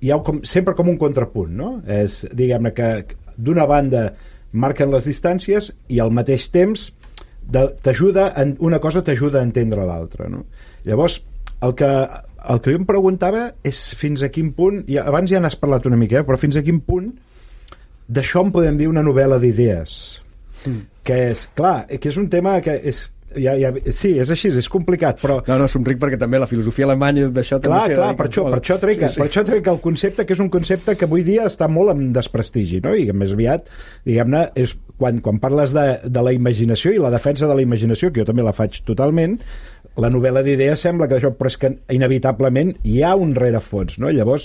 hi ha com, sempre com un contrapunt, no? És, diguem-ne, que d'una banda marquen les distàncies i al mateix temps t'ajuda, una cosa t'ajuda a entendre l'altra, no? Llavors, el que, el que jo em preguntava és fins a quin punt, i abans ja n'has parlat una mica, eh, però fins a quin punt d'això en podem dir una novel·la d'idees, mm. que és, clar, que és un tema que és Ja, ja, sí, és així, és complicat, però... No, no, somric perquè també la filosofia alemanya d'això també... Clar, clar, per això, per, això trec, sí, sí. per això trec el concepte, que és un concepte que avui dia està molt en desprestigi, no? I que més aviat, diguem-ne, és quan, quan parles de, de la imaginació i la defensa de la imaginació, que jo també la faig totalment, la novel·la d'idees sembla que això, però és que inevitablement hi ha un rerefons, no? Llavors,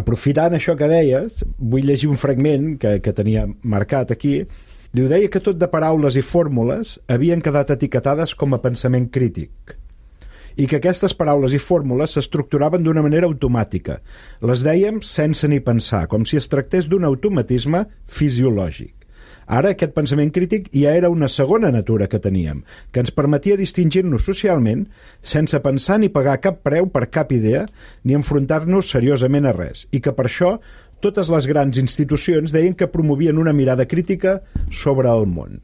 aprofitant això que deies, vull llegir un fragment que, que tenia marcat aquí. Diu, deia que tot de paraules i fórmules havien quedat etiquetades com a pensament crític i que aquestes paraules i fórmules s'estructuraven d'una manera automàtica. Les dèiem sense ni pensar, com si es tractés d'un automatisme fisiològic. Ara aquest pensament crític ja era una segona natura que teníem, que ens permetia distingir-nos socialment sense pensar ni pagar cap preu per cap idea ni enfrontar-nos seriosament a res, i que per això totes les grans institucions deien que promovien una mirada crítica sobre el món.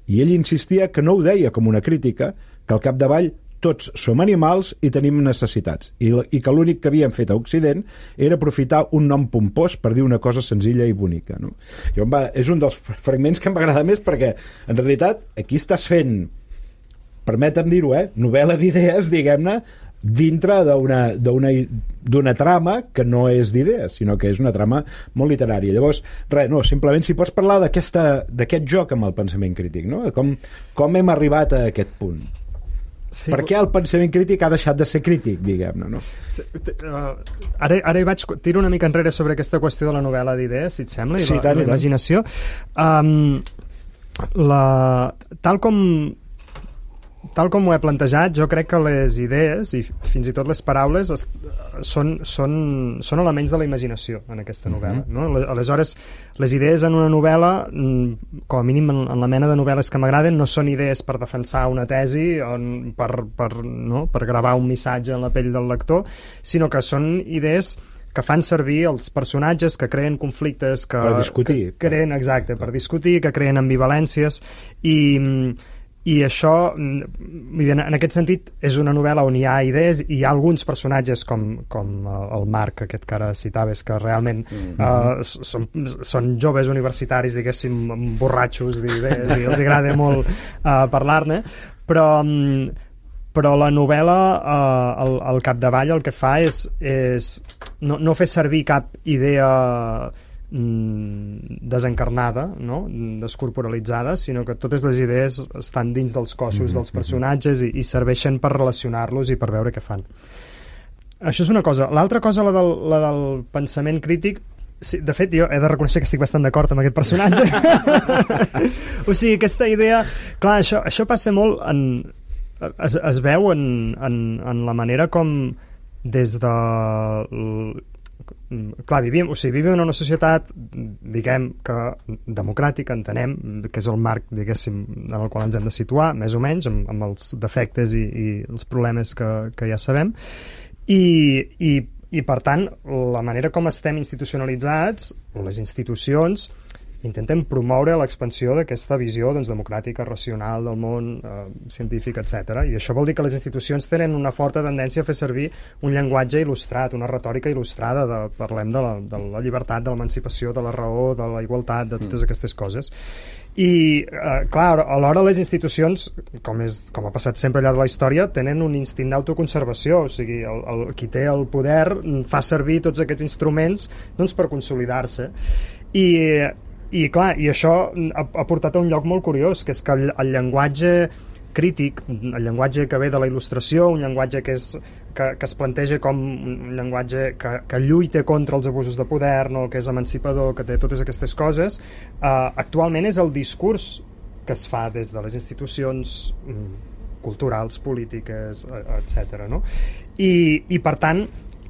I ell insistia que no ho deia com una crítica, que al capdavall tots som animals i tenim necessitats, i, i que l'únic que havien fet a Occident era aprofitar un nom pompós per dir una cosa senzilla i bonica, no? Jo, va, és un dels fragments que m'agrada més perquè, en realitat, aquí estàs fent, permetem dir-ho, eh, novel·la d'idees, diguem-ne, dintre d'una, d'una, d'una trama que no és d'idees, sinó que és una trama molt literària. Llavors, res, no, simplement si pots parlar d'aquesta, d'aquest joc amb el pensament crític, no? Com, com hem arribat a aquest punt? Sí, per què el pensament crític ha deixat de ser crític, diguem-ne, no? Uh, ara, ara hi vaig, tiro una mica enrere sobre aquesta qüestió de la novel·la d'idees, si et sembla, i sí, la, la imaginació. Um, la, tal com tal com ho he plantejat, jo crec que les idees i fins i tot les paraules es, són, són, són elements de la imaginació en aquesta novel·la, uh-huh. no? Aleshores, les idees en una novel·la, com a mínim en, en la mena de novel·les que m'agraden, no són idees per defensar una tesi o per, per, no? per gravar un missatge en la pell del lector, sinó que són idees que fan servir els personatges, que creen conflictes, que, per discutir. Que creen, exacte, per discutir, que creen ambivalències, i i això, en aquest sentit, és una novel·la on hi ha idees i hi ha alguns personatges com, com el Marc, aquest que ara citaves, que realment mm-hmm. uh, són, són joves universitaris, diguéssim, borratxos d'idees i els agrada molt uh, parlar-ne, però, um, però la novel·la, uh, al, al capdavall, el que fa és, és no, no fer servir cap idea desencarnada, no? Descorporalitzada, sinó que totes les idees estan dins dels cossos mm-hmm. dels personatges i, i serveixen per relacionar-los i per veure què fan. Això és una cosa. L'altra cosa, la del, la del pensament crític, sí, de fet, jo he de reconèixer que estic bastant d'acord amb aquest personatge. O sigui, aquesta idea... Clar, això, això passa molt en... Es, es veu en, en, en la manera com des de... clar, vivim, o sigui, vivim en una societat, diguem, que democràtica, entenem, que és el marc, diguéssim, en el qual ens hem de situar, més o menys, amb, amb els defectes i, i els problemes que, que ja sabem, i, i, i per tant, la manera com estem institucionalitzats, les institucions, intentem promoure l'expansió d'aquesta visió doncs, democràtica, racional del món, eh, científic, etcètera. I això vol dir que les institucions tenen una forta tendència a fer servir un llenguatge il·lustrat, una retòrica il·lustrada, de, parlem de la, de la llibertat, de l'emancipació, de la raó, de la igualtat, de totes aquestes coses. I, eh, clar, alhora les institucions, com, és, com ha passat sempre al llarg de la història, tenen un instint d'autoconservació, o sigui, el, el, qui té el poder fa servir tots aquests instruments doncs, per consolidar-se. I I clar, i això ha, ha portat a un lloc molt curiós, que és que el, el llenguatge crític, el llenguatge que ve de la il·lustració, un llenguatge que, és, que, que es planteja com un llenguatge que, que lluita contra els abusos de poder, no? Que és emancipador, que té totes aquestes coses, eh, actualment és el discurs que es fa des de les institucions culturals, polítiques, etcètera. No? I, i per tant,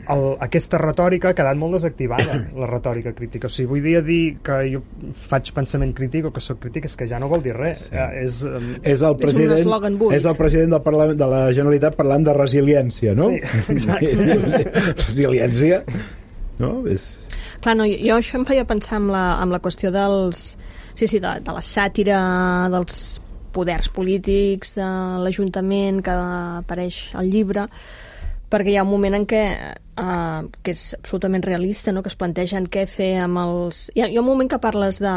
El, aquesta retòrica ha quedat molt desactivada, la retòrica crítica. O sigui, vull dir, dir que jo faig pensament crític o que soc crític és que ja no vol dir res. Sí. Eh, és, um... és, el president, és el president del Parlament de la Generalitat parlant de resiliència, no? Sí, exacte. Resiliència, no? És... Clar, no, jo això em feia pensar amb la, amb la qüestió dels... Sí, sí, de, de la sàtira dels poders polítics, de l'Ajuntament que apareix al llibre, perquè hi ha un moment en què uh, que és absolutament realista, no? Que es plantegen què fer amb els... Hi ha, hi ha un moment que parles de,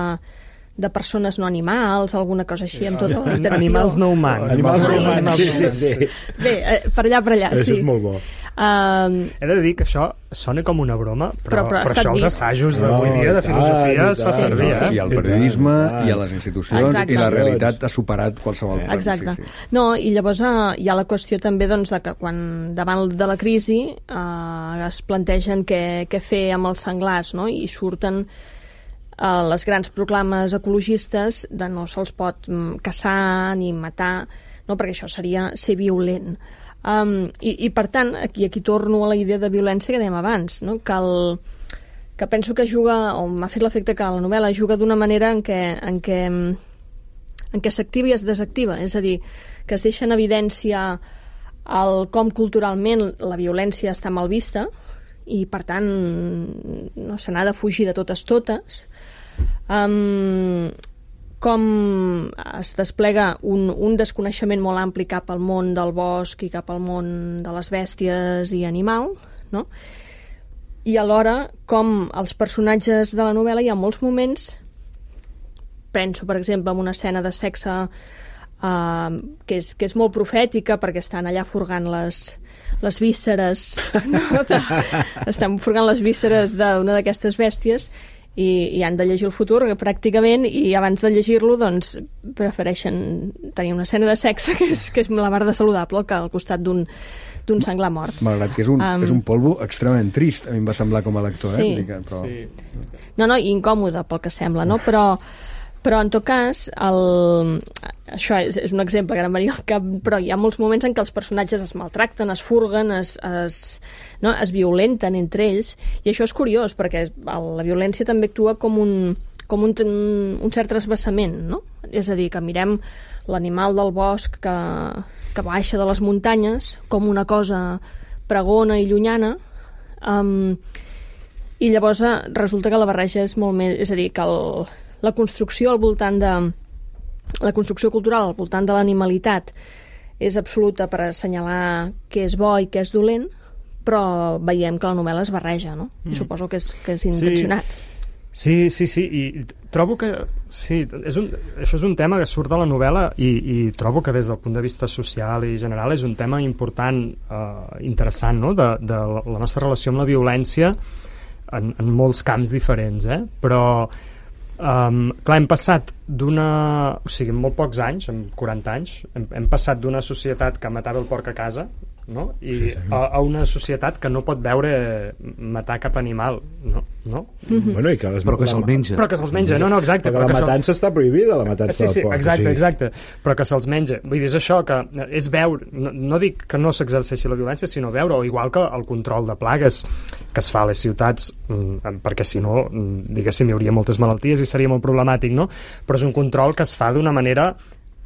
de persones no animals, alguna cosa així, amb tota la intenció. Animals no humans. Animals no humans, sí, sí, sí. Bé, eh, per allà, per allà, això sí. És molt bo. Uh, He de dir que això sona com una broma, però, però, però, però això dit. els assajos d'avui dia de filosofia es fa servir. sí, sí. Eh? I el periodisme, i a les institucions, Exacte. i la realitat ha superat qualsevol cosa. Exacte. Sí, sí. No, i llavors uh, hi ha la qüestió també doncs, de que quan davant de la crisi uh, es plantegen què, què fer amb els senglars, no? I surten uh, les grans proclames ecologistes de no se'ls pot um, caçar ni matar, no? Perquè això seria ser violent. Um, i, i per tant, aquí, aquí torno a la idea de violència que dèiem abans, no? que, el, que penso que juga, o m'ha fet l'efecte que la novel·la juga d'una manera en què, en què, en què s'activa i es desactiva, és a dir, que es deixa en evidència el com culturalment la violència està mal vista i per tant no se n'ha de fugir de totes totes, um, com es desplega un, un desconeixement molt ampli cap al món del bosc i cap al món de les bèsties i animal, no? I alhora com els personatges de la novel·la hi ha molts moments, penso per exemple en una escena de sexe uh, que, és, que és molt profètica perquè estan allà furgant les, les vísceres, no? de, estan furgant les vísceres d'una d'aquestes bèsties i, i han de llegir el futur pràcticament, i abans de llegir-lo doncs prefereixen tenir una escena de sexe que és, que és la mar de saludable que al costat d'un d'un senglar mort. Malgrat que és un, um, és un polvo extremament trist, a mi em va semblar com a lector, sí, eh? Però... Sí. No, no, i incòmode pel que sembla, no? Però, però en tot cas, el... això és, és un exemple que ara em venia al cap, però hi ha molts moments en què els personatges es maltracten, es furguen, es, es, no? es violenten entre ells, i això és curiós, perquè la violència també actua com un, com un, un cert trasbassament, no? És a dir, que mirem l'animal del bosc que, que baixa de les muntanyes com una cosa pregona i llunyana, um, i llavors resulta que la barreja és molt més... És a dir, que el, la construcció al voltant de... La construcció cultural al voltant de l'animalitat és absoluta per assenyalar què és bo i què és dolent, però veiem que la novel·la es barreja, no? Mm. I suposo que és, que és intencionat. Sí. Sí, sí, sí, i trobo que sí, és un, això és un tema que surt de la novel·la i, i trobo que des del punt de vista social i general és un tema important, eh, interessant, no? de, de la nostra relació amb la violència en, en molts camps diferents, eh? Però um, clar, hem passat d'una... O sigui, en molt pocs anys, en quaranta anys, hem, hem passat d'una societat que matava el porc a casa, no? I sí, sí. A, a una societat que no pot veure matar cap animal, no? no? Mm-hmm. Bueno, i que les... Però que se'l menja. Però que se'ls menja, no, no, exacte. Perquè la matança està prohibida, la matança sí, sí, del porc. Exacte, sí. exacte, però que se'ls menja. Vull dir, és això, que és veure, no, no dic que no s'exerceixi la violència, sinó veure, o igual que el control de plagues que es fa a les ciutats, perquè si no, diguéssim, hi hauria moltes malalties i seria molt problemàtic, no? Però és un control que es fa d'una manera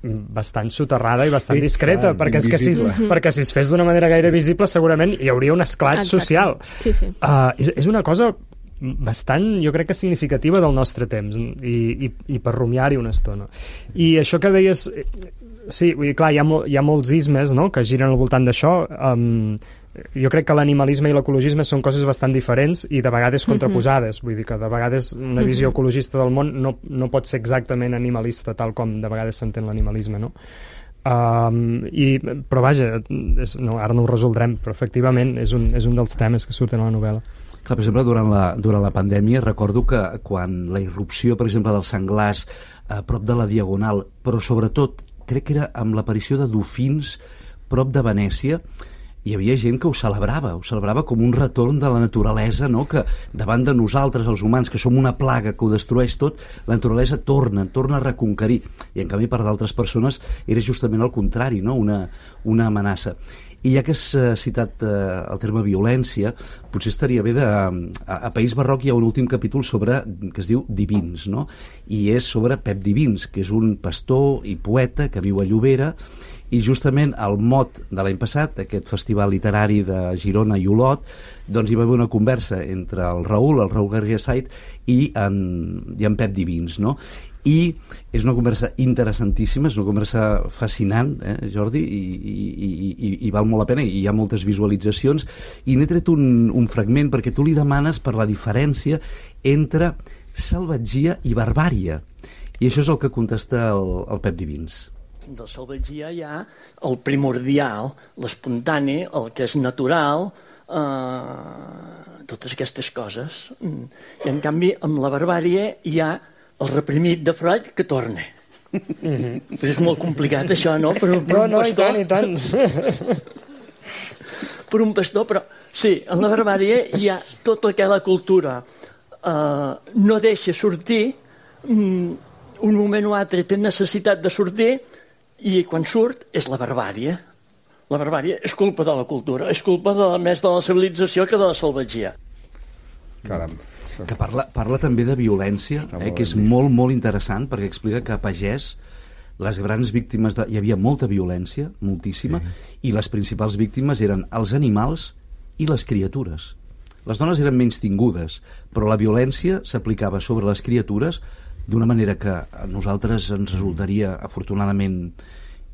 bastant soterrada i bastant sí, discreta, clar, perquè, és que si, perquè si es fes d'una manera gaire visible segurament hi hauria un esclat Exacte. social. Sí, sí. Uh, és, és una cosa bastant, jo crec que significativa del nostre temps i, i, i per rumiar-hi una estona. I això que deies, sí, vull dir, clar, hi ha, mol, hi ha molts ismes, no?, que giren al voltant d'això. Um, jo crec que l'animalisme i l'ecologisme són coses bastant diferents i de vegades contraposades. Vull dir que de vegades una visió ecologista del món no, no pot ser exactament animalista tal com de vegades s'entén l'animalisme, no? Um, i, però vaja, és, no, ara no ho resoldrem, però efectivament és un, és un dels temes que surten a la novel·la. Clar, per exemple, durant la, durant la pandèmia recordo que quan la irrupció, per exemple, dels senglars a prop de la Diagonal, però sobretot crec que era amb l'aparició de dofins prop de Venècia, hi havia gent que ho celebrava, ho celebrava com un retorn de la naturalesa, no? Que davant de nosaltres, els humans, que som una plaga que ho destrueix tot, la naturalesa torna, torna a reconquerir. I en canvi per d'altres persones era justament el contrari, no? una, una amenaça. I ja que has citat eh, el terme violència, potser estaria bé de... A, a País Barroc hi ha un últim capítol sobre, que es diu Divins, no? I és sobre Pep Divins, que és un pastor i poeta que viu a Llobera, i justament al mot de l'any passat, aquest festival literari de Girona i Olot, doncs hi va haver una conversa entre el Raül, el Raül García Sait, i en, i en Pep Divins, no? I és una conversa interessantíssima, és una conversa fascinant, eh, Jordi, i, i, i, i val molt la pena, i hi ha moltes visualitzacions, i n'he tret un, un fragment perquè tu li demanes per la diferència entre salvatgia i barbària, i això és el que contesta el, el Pep Divins. De salvatgia hi ha el primordial, l'espontani, el que és natural, eh, totes aquestes coses. I en canvi, amb la barbàrie hi ha el reprimit de Freud que torna. Mm-hmm. Però és molt complicat això, no? Per, per no, un no, pastor. i tant, i tant. Per un pastor, però sí, en la barbàrie hi ha tota aquella cultura. Eh, no deixa sortir, um, un moment o altre té necessitat de sortir, i quan surt és la barbàrie. La barbàrie és culpa de la cultura, és culpa de, més de la civilització que de la salvatgia. Caram. Que parla, parla també de violència, eh, que és molt, molt interessant, perquè explica que a Pagès les grans víctimes... De... Hi havia molta violència, moltíssima, sí. I les principals víctimes eren els animals i les criatures. Les dones eren menys tingudes, però la violència s'aplicava sobre les criatures d'una manera que a nosaltres ens resultaria afortunadament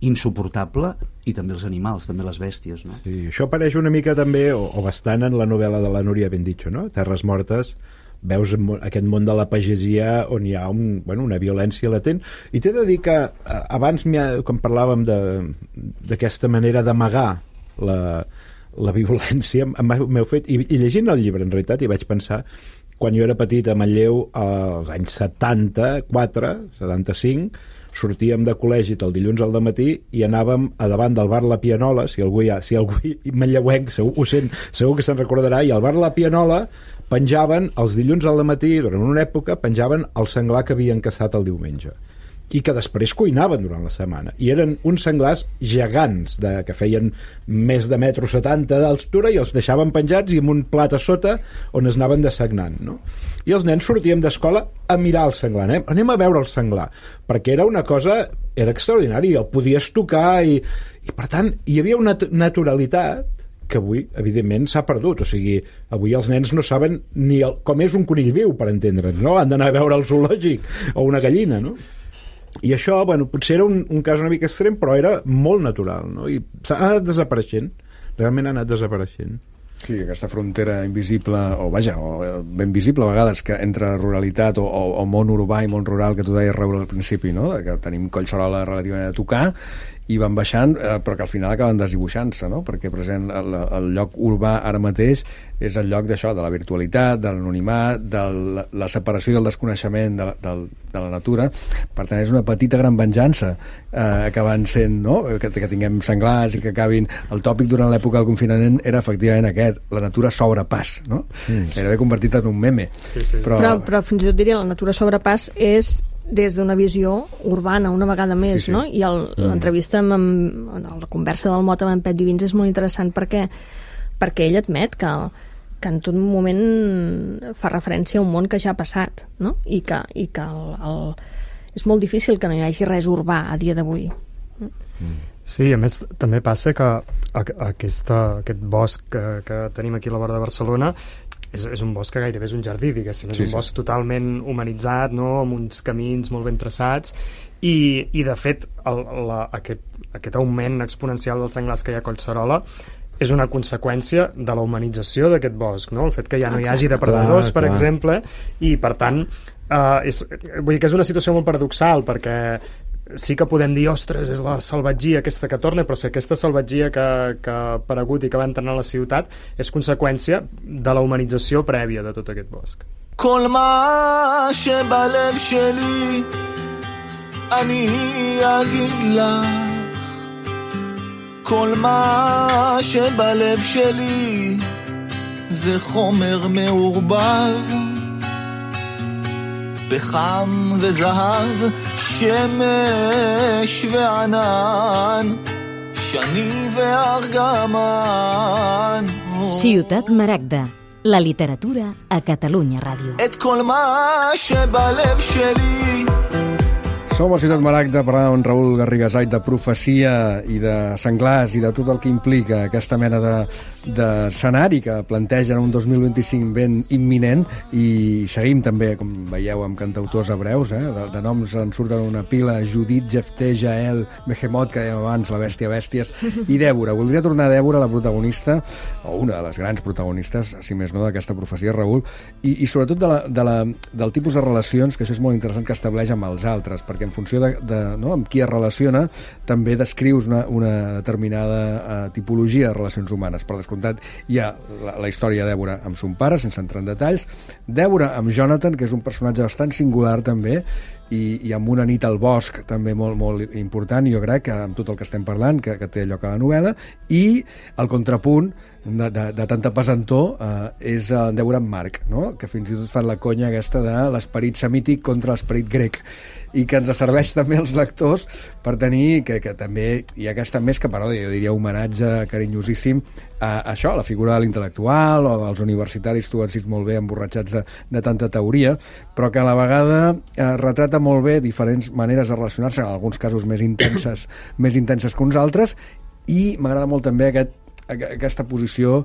insuportable, i també els animals, també les bèsties, no? Sí, això apareix una mica també, o, o bastant, en la novel·la de la Núria Benditxo, no? Terres mortes, veus aquest món de la pagesia on hi ha un, bueno, una violència latent, i t'he de dir que abans, quan parlàvem d'aquesta manera d'amagar la, la violència, m'heu fet, i, i llegint el llibre en realitat, i vaig pensar quan jo era petit a Manlleu, als anys setanta-quatre, setanta-cinc, sortíem de col·legi el dilluns al dematí i anàvem a davant del bar La Pianola, si algú hi ha, si algú manlleuenc segur, ho sent, segur que se'n recordarà, i al bar La Pianola penjaven els dilluns al dematí, durant una època, penjaven el senglar que havien caçat el diumenge, i que després cuinaven durant la setmana, i eren uns senglars gegants de, que feien més de metro setanta d'altura, i els deixaven penjats i amb un plat a sota on es anaven dessagnant, no? I els nens sortíem d'escola a mirar el senglar, anem, anem a veure el senglar, perquè era una cosa, era extraordinari, el podies tocar, i, i per tant hi havia una naturalitat que avui, evidentment, s'ha perdut. O sigui, avui els nens no saben ni el, com és un conill viu, per entendre'ns, no? Han d'anar a veure el zoològic o una gallina, no? I això, bueno, potser era un, un cas una mica extrem, però era molt natural, no? I s'ha anat desapareixent, realment ha anat desapareixent. Sí, aquesta frontera invisible, o vaja, o ben visible a vegades, que entre ruralitat o, o, o món urbà i món rural, que tu deies, Raül, al principi, no? Que tenim Collserola relativament a tocar, i van baixant, eh, però que al final acaben desdibuixant-se, no? Perquè present el, el lloc urbà ara mateix és el lloc d'això, de la virtualitat, de l'anonimat, de la, la separació i el desconeixement de la, de, de la natura. Per tant, és una petita gran venjança eh, acabant sent, no? Que, que tinguem senglars i que acabin... El tòpic durant l'època del confinament era efectivament aquest, la natura s'obre pas, no? Mm. Gairebé convertit en un meme. Sí, sí. Però... Però, però fins i tot diria, la natura s'obre pas és des d'una visió urbana, una vegada més, sí, sí. no? I l'entrevista amb, amb la conversa del Mot amb en Pep Divins és molt interessant perquè, perquè ell admet que, que en tot moment fa referència a un món que ja ha passat, no? I que, i que el, el, és molt difícil que no hi hagi res urbà a dia d'avui. Sí, a més també passa que aquesta, aquest bosc que, que tenim aquí a la vora de Barcelona és, és un bosc que gairebé és un jardí, diguéssim, és sí, un bosc sí. totalment humanitzat, no? Amb uns camins molt ben traçats i, i de fet el, la, aquest, aquest augment exponencial dels senglars que hi ha a Collserola és una conseqüència de la humanització d'aquest bosc, no? El fet que ja no hi hagi depredadors, clar, per clar. exemple, i per tant eh, és, vull dir que és una situació molt paradoxal perquè sí que podem dir, ostres, és la salvatgia aquesta que torna, però si aquesta salvatgia que, que ha aparegut i que va entrar a la ciutat és conseqüència de la humanització prèvia de tot aquest bosc. כל מה שבלב שלי אני אגיד לה כל מה שבלב שלי זה חומר מעורבב פחם וזהב, שמש וענן, שני וארגמן. Ciutat Maragda, la literatura a Catalunya Ràdio. את כל מה שבלב שלי. Som a Ciutat Maragda parlant amb Raül Garrigasait de profecia i de senglars i de tot el que implica aquesta mena de, d'escenari que plantegen un dos mil vint-i-cinc ben imminent i seguim també, com veieu, amb cantautors hebreus, eh? de, de noms en surten una pila, Judit, Jefté, Jael, Behemoth, que dèiem abans, la bèstia bèsties, i Dèbora. Voldria tornar a Dèbora, la protagonista, o una de les grans protagonistes, si més no, d'aquesta profecia, Raül, i, i sobretot de la, de la, del tipus de relacions, que això és molt interessant, que estableix amb els altres, perquè en funció de, de no, amb qui es relaciona, també descrius una, una determinada uh, tipologia de relacions humanes. Per descomptat, hi ha la, la història de Dèbora amb son pare, sense entrar en detalls, Dèbora amb Jonathan, que és un personatge bastant singular també, i, i amb una nit al bosc també molt, molt important, jo crec que amb tot el que estem parlant, que, que té lloc a la novel·la, i el contrapunt de, de, de tanta pesantor eh, és en Dèbora amb Marc, no? Que fins i tot fan la conya aquesta de l'esperit semític contra l'esperit grec, i que ens serveix sí. també als lectors per tenir, que, que també hi ha aquesta més que paròdia, jo diria homenatge carinyosíssim a, a això, a la figura de l'intel·lectual o dels universitaris, tu has dit molt bé, emborratxats de, de tanta teoria, però que a la vegada eh, retrata molt bé diferents maneres de relacionar-se, en alguns casos més intenses, més intenses que uns altres, i m'agrada molt també aquest, aquesta posició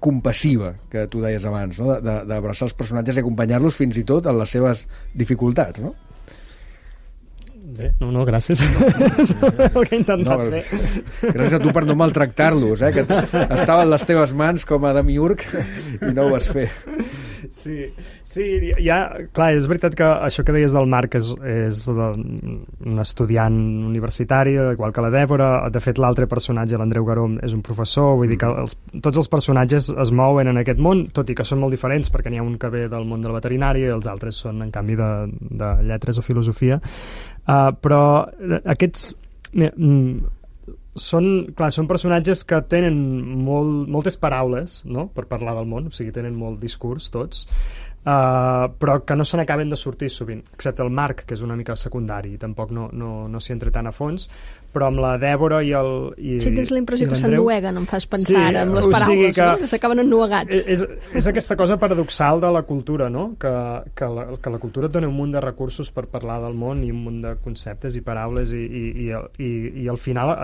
compassiva que tu deies abans, no? D'abraçar els personatges i acompanyar-los fins i tot en les seves dificultats, no? Bé, no, no, gràcies. És el que he intentat no, fer. Gràcies a tu per no maltractar-los, eh? Que estaven les teves mans com a demiurg i no ho vas fer. Sí, sí, ja, clar, és veritat que això que deies del Marc és, és un estudiant universitari, igual que la Dèbora. De fet, l'altre personatge, l'Andreu Garóm, és un professor, vull dir que els, tots els personatges es mouen en aquest món, tot i que són molt diferents, perquè n'hi ha un que ve del món de la veterinària i els altres són, en canvi, de, de lletres o filosofia. Uh, però aquests... Mm, són, clar, són personatges que tenen molt, moltes paraules, no?, per parlar del món, o sigui, tenen molt discurs tots, uh, però que no se n'acaben de sortir sovint, excepte el Marc, que és una mica secundari, i tampoc no, no, no s'hi entra tant a fons, però amb la Dèbora i el i, sí, tens la impressió que s'ennueguen, em fas pensar, sí, ara, amb les paraules, o sigui que, no? Que s'acaben ennuegats. És, és aquesta cosa paradoxal de la cultura, no?, que, que, la, que la cultura et dona un munt de recursos per parlar del món i un munt de conceptes i paraules i, i, i, i, i al final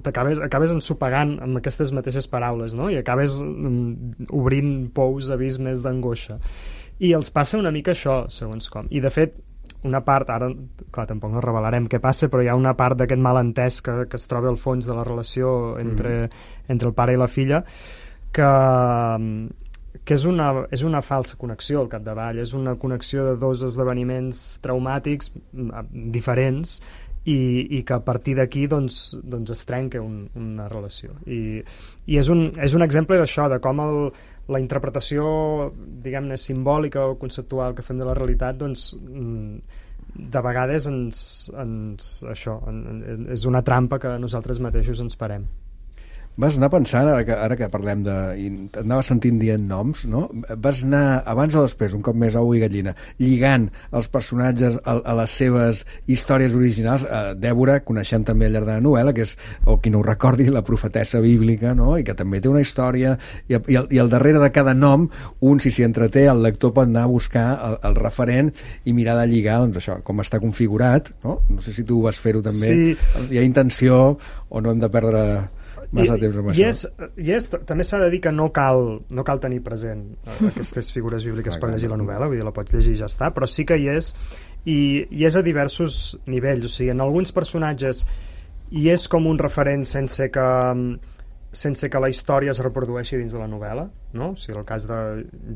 t'acabes acabes ensopegant amb aquestes mateixes paraules, no?, i acabes um, obrint pous, abismes d'angoixa. I els passa una mica això, segons com. I de fet, una part, ara, clar, tampoc no revelarem què passa, però hi ha una part d'aquest malentès que, que es troba al fons de la relació entre, mm. entre el pare i la filla, que, que és, una, és una falsa connexió al capdavall, és una connexió de dos esdeveniments traumàtics diferents i, i que a partir d'aquí doncs, doncs es trenca un, una relació. I, i és, un, és un exemple d'això, de com el, la interpretació, diguem-ne, simbòlica o conceptual que fem de la realitat, doncs, de vegades ens, ens, això, és una trampa que nosaltres mateixos ens parem. Vas anar pensant, ara que, ara que parlem de... i anava sentint dient noms, no? Vas anar, abans o després, un cop més ou i gallina, lligant els personatges a, a les seves històries originals. Eh, Dèbora, coneixem també al llarg de la novel·la, que és, o qui no ho recordi, la profetessa bíblica, no? I que també té una història, i, i, al, i al darrere de cada nom, un, si s'hi entreté, el lector pot anar a buscar el, el referent i mirar de lligar, doncs això, com està configurat, no? No sé si tu vas fer-ho també. Sí. Hi ha intenció o no hem de perdre... massa temps amb I, és, i és, també s'ha de dir que no cal, no cal tenir present aquestes figures bíbliques per llegir la novel·la, vull dir, la pots llegir i ja està, però sí que hi és, i, i és a diversos nivells, o sigui, en alguns personatges hi és com un referent sense que sense que la història es reprodueixi dins de la novel·la, no? O sigui, el cas de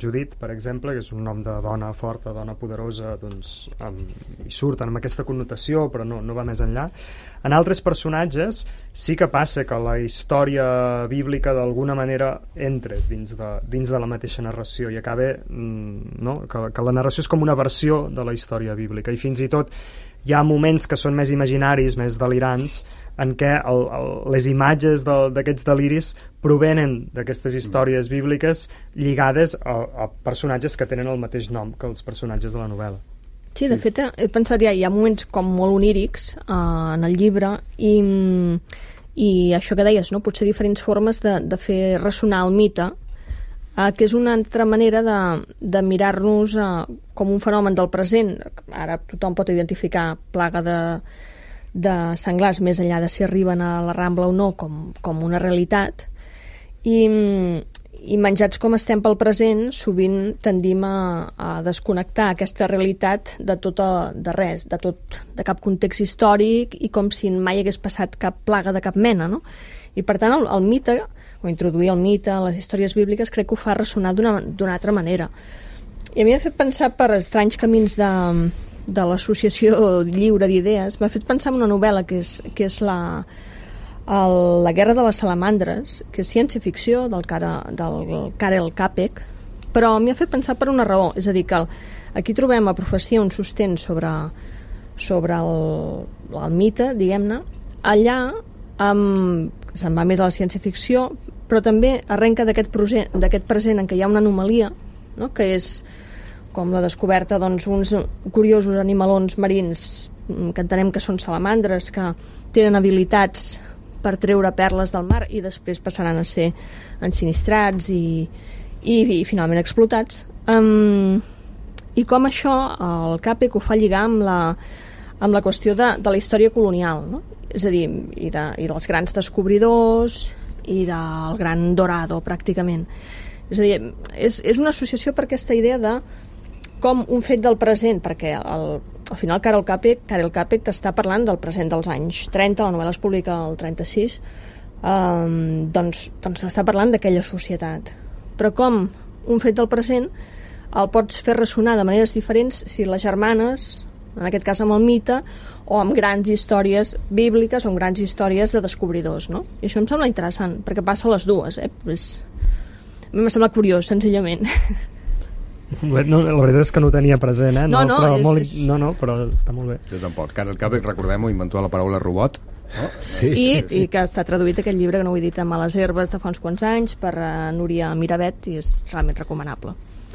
Judit, per exemple, que és un nom de dona forta, dona poderosa, doncs amb, hi surten amb aquesta connotació, però no, no va més enllà. En altres personatges sí que passa que la història bíblica d'alguna manera entra dins de, dins de la mateixa narració i acaba, no? que, que la narració és com una versió de la història bíblica, i fins i tot hi ha moments que són més imaginaris, més delirants, en què el, el, les imatges de, d'aquests deliris provenen d'aquestes històries bíbliques lligades a, a personatges que tenen el mateix nom que els personatges de la novel·la. Sí, de fet, he pensat, ja, hi ha moments com molt onírics eh, en el llibre, i, i això que deies, no? Potser diferents formes de, de fer ressonar el mite, eh, que és una altra manera de, de mirar-nos eh, com un fenomen del present. Ara tothom pot identificar plaga de de senglars, més enllà de si arriben a la Rambla o no, com, com una realitat, i, i menjats com estem pel present, sovint tendim a, a desconnectar aquesta realitat de tot a, de res, de tot, de cap context històric, i com si mai hagués passat cap plaga de cap mena, no? I per tant el, el mite, o introduir el mite a les històries bíbliques, crec que ho fa ressonar d'una, d'una altra manera. I a mi m'ha fet pensar per estranys camins de de l'Associació Lliure d'Idees, m'ha fet pensar en una novel·la que és, que és la, el, la Guerra de les Salamandres, que és ciència-ficció del, cara, del Karel Capek, però m'ha fet pensar per una raó, és a dir, que el, aquí trobem a Profecia un sostén sobre, sobre el, el mite, diguem-ne, allà amb, se'n va més a la ciència-ficció, però també arrenca d'aquest present, d'aquest present en què hi ha una anomalia, no? Que és com la descoberta d'uns doncs, curiosos animalons marins que entenem que són salamandres, que tenen habilitats per treure perles del mar i després passaran a ser ensinistrats i, i, i finalment explotats. Um, I com això el Capek ho fa lligar amb la, amb la qüestió de, de la història colonial, no? És a dir, i, de, i dels grans descobridors i del gran Dorado, pràcticament. És a dir, és, és una associació per aquesta idea de com un fet del present, perquè el, al final Karel Capek, Karel Capek t'està parlant del present dels anys trenta, la novel·la es publica el trenta-sis, um, doncs, doncs està parlant d'aquella societat. Però com un fet del present el pots fer ressonar de maneres diferents si les germanes, en aquest cas amb el mite, o amb grans històries bíbliques o amb grans històries de descobridors, no? I això em sembla interessant, perquè passa a les dues, eh? Pues, a mi m'ha semblat curiós, senzillament. No, la veritat és que no ho tenia present, eh? No, no, però és, molt, és... no, no, però està molt bé. Jo tampoc. Karel Capek, recordem-ho, inventó la paraula robot. No? Sí. I, i que està traduït aquest llibre, que no ho he dit, a Males Herbes de fa uns quants anys, per uh, Núria Miravet, i és realment recomanable.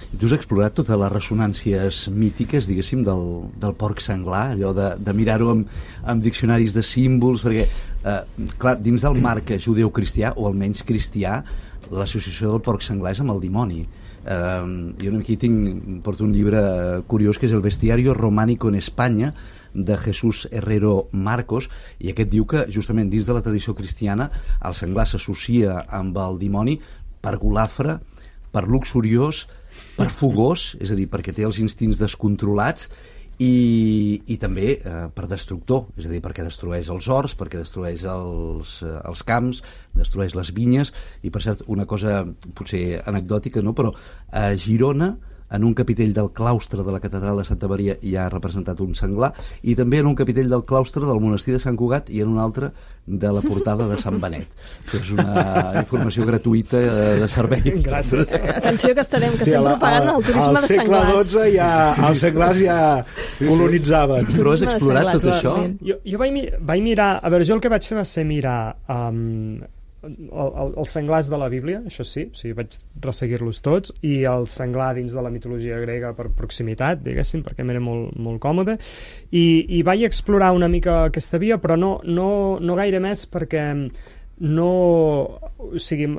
Tu has explorat totes les ressonàncies mítiques, diguéssim, del, del porc senglar, allò de, de mirar-ho amb, amb diccionaris de símbols, perquè, eh, clar, dins del marc judeu-cristià, o almenys cristià, l'associació del porc senglar és amb el dimoni. Uh, jo aquí tinc, porto un llibre curiós que és El bestiario románico en Espanya, de Jesús Herrero Marcos, i aquest diu que justament dins de la tradició cristiana el senglar s'associa amb el dimoni per golafre, per luxuriós, per fogós, és a dir, perquè té els instints descontrolats, i, i també eh, per destructor, és a dir, perquè destrueix els horts, perquè destrueix els, eh, els camps, destrueix les vinyes. I per cert, una cosa potser anecdòtica, no? Però a Girona en un capitell del claustre de la catedral de Santa Maria hi ha representat un senglar, i també en un capitell del claustre del monestir de Sant Cugat i en un altre de la portada de Sant Benet. Això és una informació gratuïta de servei. Gràcies. Atenció que estarem, que Sí, estem a la- propagant el turisme de Al segle senglars. dotze ja, els senglars ja colonitzaven. Però has Turisme de explorat tot senglars, això? sí. Jo, jo vaig, mi- vaig mirar... A veure, jo el que vaig fer va ser mirar um, el, el, els senglars de la Bíblia, això sí, o sigui, vaig resseguir-los tots, i el senglar dins de la mitologia grega per proximitat, diguéssim, perquè m'era molt, molt còmode, i, i vaig explorar una mica aquesta via, però no, no, no gaire més, perquè no... O sigui,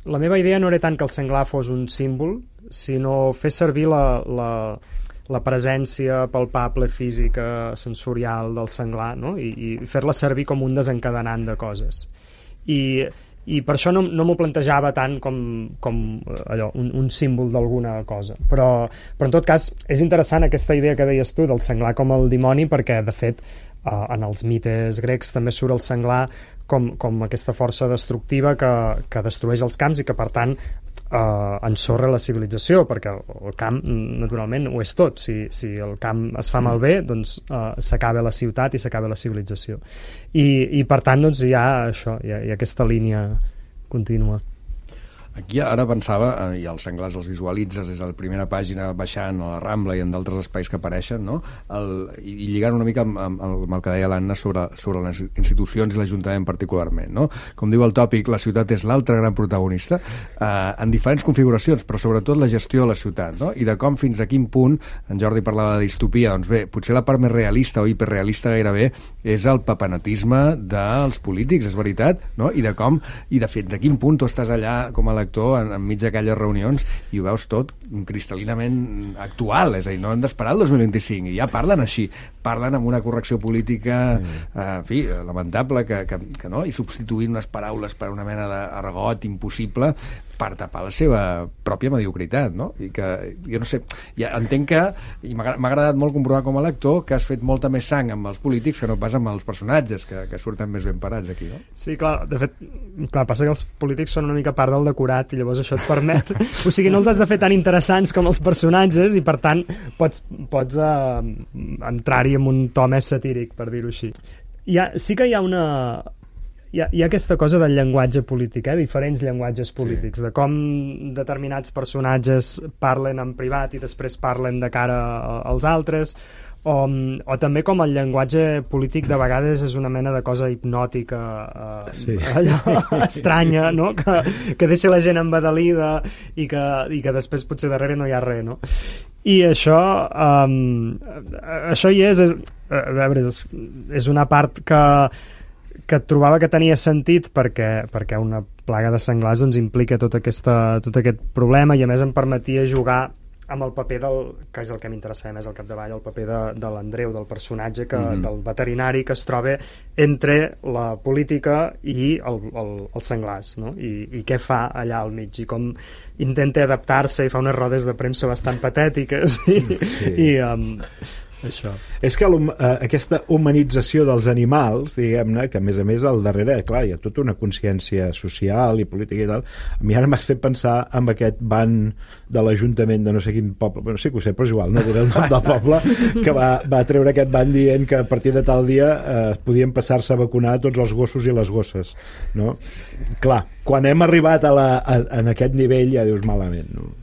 la meva idea no era tant que el senglar fos un símbol, sinó fer servir la, la, la presència palpable, física, sensorial del senglar, no? I, i fer-la servir com un desencadenant de coses. I, i per això no, no m'ho plantejava tant com, com allò, un, un símbol d'alguna cosa. Però, però en tot cas és interessant aquesta idea que deies tu del senglar com el dimoni, perquè de fet eh, en els mites grecs també surt el senglar com, com aquesta força destructiva que, que destrueix els camps i que per tant eh, ensorra la civilització, perquè el, el camp naturalment ho és tot. Si, si el camp es fa malbé, doncs eh, s'acaba la ciutat i s'acaba la civilització. I, i per tant doncs hi ha això, hi ha, hi ha aquesta línia contínua. Aquí ara pensava, eh, i els senglars els visualitzes des de la primera pàgina baixant a la Rambla i en d'altres espais que apareixen, no? El, i, i lligant una mica amb, amb, amb el que deia l'Anna sobre, sobre les institucions i l'Ajuntament particularment, no? Com diu el tòpic, la ciutat és l'altre gran protagonista, eh, en diferents configuracions, però sobretot la gestió de la ciutat, no? I de com fins a quin punt, en Jordi parlava de distopia, doncs bé, potser la part més realista o hiperrealista gairebé és el papenatisme dels polítics, és veritat, no? I de com, i de fins a quin punt tu estàs allà com a lector en, enmig d'aquelles reunions i ho veus tot cristal·linament actual, és a dir, no hem d'esperar el dos mil vint-i-cinc i ja parlen així, parlen amb una correcció política mm. eh, en fi, lamentable que, que, que no, i substituint unes paraules per una mena d'argot impossible per tapar la seva pròpia mediocritat, no? I que, jo no sé, ja entenc que, i m'ha agradat molt comprovar com a lector que has fet molta més sang amb els polítics que no pas amb els personatges, que, que surten més ben parats aquí, no? Sí, clar, de fet, clar, passa que els polítics són una mica part del decorat i llavors això et permet... O sigui, no els has de fer tan interessants com els personatges i, per tant, pots, pots uh, entrar-hi amb un to més satíric, per dir-ho així. Hi ha, sí que hi ha una... Hi ha, hi ha aquesta cosa del llenguatge polític, eh? Diferents llenguatges polítics, sí. De com determinats personatges parlen en privat i després parlen de cara als altres, o, o també com el llenguatge polític de vegades és una mena de cosa hipnòtica, eh, sí. allò estranya, no? Que, que deixa la gent embadalida i que, i que després potser darrere no hi ha res, no? I això um, això hi és, és a veure, és, és una part que que trobava que tenia sentit perquè, perquè una plaga de senglars doncs, implica tot, aquesta, tot aquest problema i a més em permetia jugar amb el paper del, que és el que m'interessa més al capdavall, el paper de, de l'Andreu, del personatge, que, mm-hmm. del veterinari que es troba entre la política i el, el, els senglars, no? I, i què fa allà al mig i com intenta adaptar-se i fa unes rodes de premsa bastant patètiques i, sí. i um, això. És que uh, aquesta humanització dels animals, diguem-ne, que a més a més al darrere, clar, hi ha tota una consciència social i política i tal. A mi ara m'has fet pensar en aquest ban de l'Ajuntament de no sé quin poble, bueno, sí que ho sé, però és igual, no diré el nom del poble, que va, va treure aquest ban dient que a partir de tal dia eh, podien passar-se a vacunar tots els gossos i les gosses, no? Clar, quan hem arribat a la, a, en aquest nivell ja dius malament, no?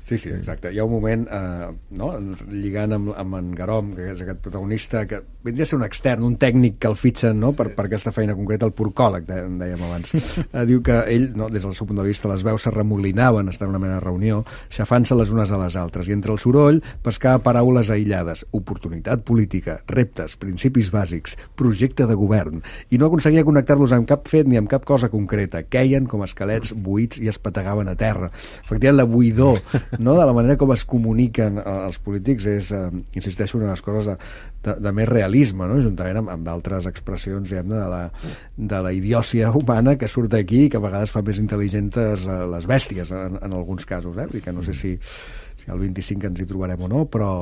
Sí, sí, exacte. Hi ha un moment, eh, no? lligant amb, amb en Garom, que és aquest protagonista, que vindria a ser un extern, un tècnic que el fitxen, no? Sí. per, per aquesta feina concreta, el porcòleg, de, en dèiem abans. eh, diu que ell, no? des del seu punt de vista, les veus se remolinaven, estar en una mena de reunió, xafant-se les unes a les altres, i entre el soroll pescava paraules aïllades, oportunitat política, reptes, principis bàsics, projecte de govern, i no aconseguia connectar-los amb cap fet ni amb cap cosa concreta. Queien com esquelets buits i es petegaven a terra. Efectivament, la buidor, no? de la manera com es comuniquen els polítics és, eh, insisteixo, una de les coses de, de, de més realisme, no? Juntament amb, amb d'altres expressions, diguem, de, la, de la idiòcia humana que surt aquí i que a vegades fa més intel·ligents les bèsties en, en alguns casos, eh? I que no sé si, si al vint-i-cinc ens hi trobarem o no, però,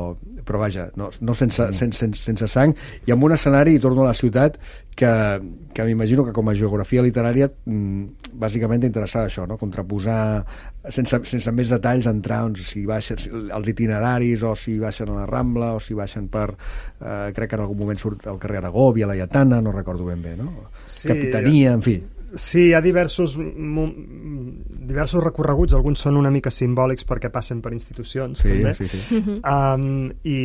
però vaja, no, no sense, sense, sense, sense sang, i amb un escenari, i torno a la ciutat, que, que m'imagino que com a geografia literària bàsicament t'interessava això, no? Contraposar sense, sense més detalls, entrar doncs, si baixen si, els itineraris, o si baixen a la Rambla, o si baixen per... Eh, crec que en algun moment surt al carrer Aragó, Via Laietana, no recordo ben bé, no? Sí, Capitania, en fi. Sí, hi ha diversos, diversos recorreguts, alguns són una mica simbòlics perquè passen per institucions, sí, també. Sí, sí. Um, I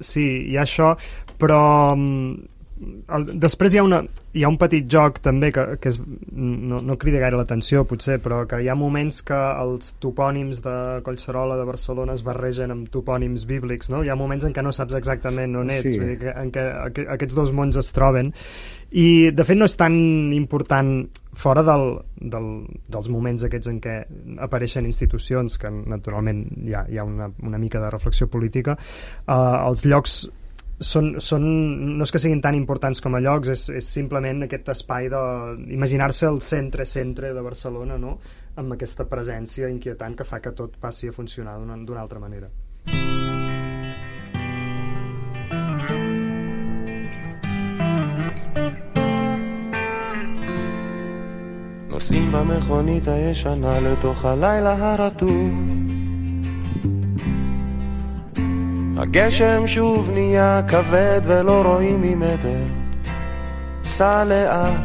sí, hi ha això, però... El, després hi ha, una, hi ha un petit joc també que, que és, no, no crida gaire l'atenció potser, però que hi ha moments que els topònims de Collserola de Barcelona es barregen amb topònims bíblics, no? Hi ha moments en què no saps exactament on ets, sí. Vull dir que, en què aqu aquests dos mons es troben, i de fet no és tan important fora del, del, dels moments aquests en què apareixen institucions, que naturalment hi ha, hi ha una, una mica de reflexió política, uh, els llocs Són, són, no és que siguin tan importants com a llocs, és, és simplement aquest espai d'imaginar-se el centre-centre de Barcelona, no? Amb aquesta presència inquietant que fa que tot passi a funcionar d'una altra manera. נוסעים במכונית הישנה לתוך הלילה הרטוב, הגשם שוב נהיה כבד ולא רואים ממטר, סע לאט.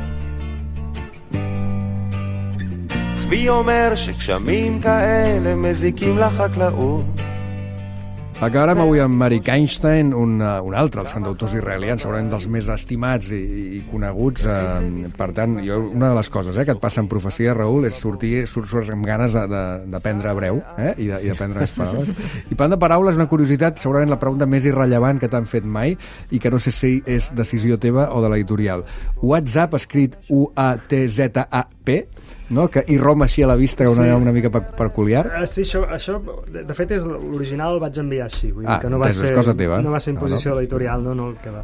צבי אומר שגשמים כאלה מזיקים לחקלאות. Acabarem avui amb Arik Einstein, un, un altre dels cantautors israelians, segurament dels més estimats i, i coneguts. Eh, per tant, jo, una de les coses eh, que et passa en profecia, Raül, és sortir surt, surt amb ganes d'aprendre hebreu eh, i d'aprendre les paraules. I parlant de paraules, una curiositat, segurament la pregunta més irrellevant que t'han fet mai i que no sé si és decisió teva o de l'editorial. WhatsApp, escrit U A T Z A P, no? Que irromp així a la vista, una, sí. una mica peculiar. Uh, sí, això, això de, de fet és l'original, el vaig enviar així, vull dir ah, que no va, ser, cosa teva. no va ser imposició no, no. de l'editorial, no, no, que va.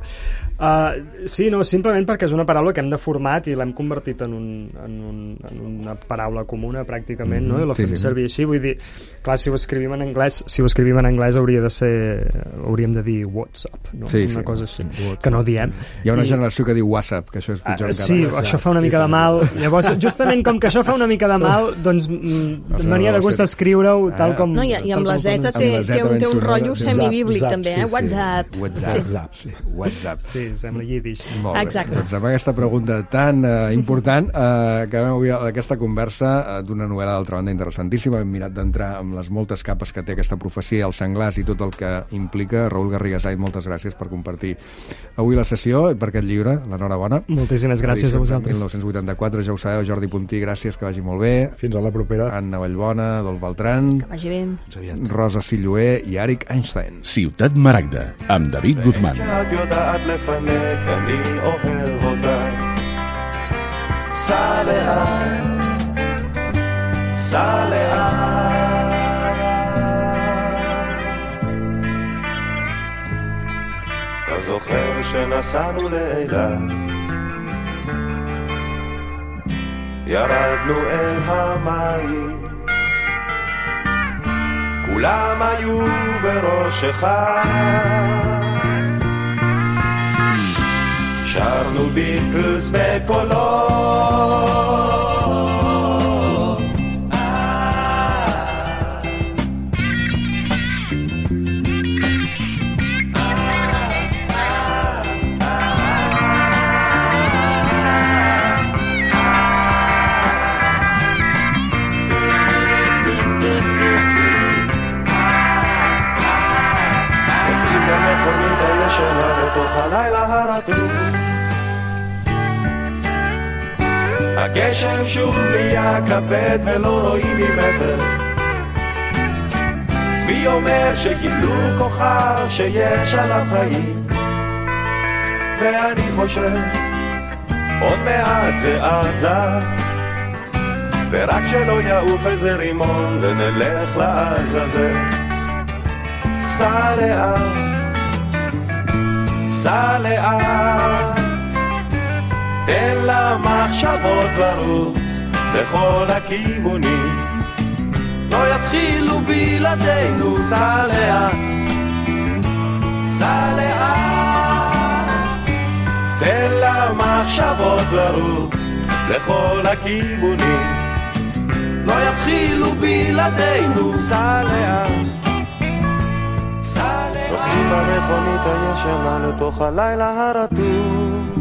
Uh, sí, no, simplement perquè és una paraula que hem deformat i l'hem convertit en, un, en, un, en una paraula comuna pràcticament, mm -hmm. no? I la fem sí, sí. servir així, vull dir, clar, si ho escrivim en anglès, si ho escrivim en anglès hauria de ser, hauríem de dir WhatsApp, no? Sí, una sí. cosa així, WhatsApp. Que no diem. Hi ha una I, generació que diu WhatsApp, que això és pitjor uh, encara. Sí, WhatsApp. Això fa una mica de mal. Llavors, justament com que això fa una mica de mal, doncs m'ania de gust escriure-ho tal com... No, i, i amb la Z té, té, un, té un rotllo semibíblic també, eh? WhatsApp. WhatsApp. Sí. WhatsApp. Sí, sembla yiddish. Molt bé. Doncs amb aquesta pregunta tan uh, important uh, acabem avui aquesta conversa uh, d'una novel·la d'altra banda interessantíssima. Hem mirat d'entrar amb les moltes capes que té aquesta profecia, els senglars i tot el que implica. Raül Garrigasait, moltes gràcies per compartir avui la sessió i per aquest llibre. L'enhorabona. Moltíssimes gràcies a vosaltres. mil nou-cents vuitanta-quatre, ja ho sabeu, Jordi Puntí, gràcies, que vagi molt bé. Fins a la propera. Anna Vallbona, Adolf Beltran. Que vagi bé. Rosa Silloé i Arik Einstein. Ciutat Maragda, amb David Guzmán. שאת יודעת לפנק, אני אוהב אותך. סע לאט, סע לאט. אתה זוכר שנסענו לאילת, ירדנו אל המים, כולם היו בראשך, שרנו ביטלס בקולות. הלילה הרטוב, הגשם שוב נהיה כבד ולא רואים ממטר. צבי אומר שגילו כוכב שיש עליו חיים, ואני חושב עוד מעט זה עזה, ורק שלא יעוף איזה רימון ונלך לעזאזל. סע לאט, סע לאט, תן למחשבות לרוץ בכל הכיוונים, לא יתחילו בלעדינו. סע לאט, סע לאט, תן למחשבות לרוץ בכל הכיוונים, לא יתחילו בלעדינו. סע לאט, סע לאט, נוסעים במכונית הישנה לתוך הלילה הרטוב.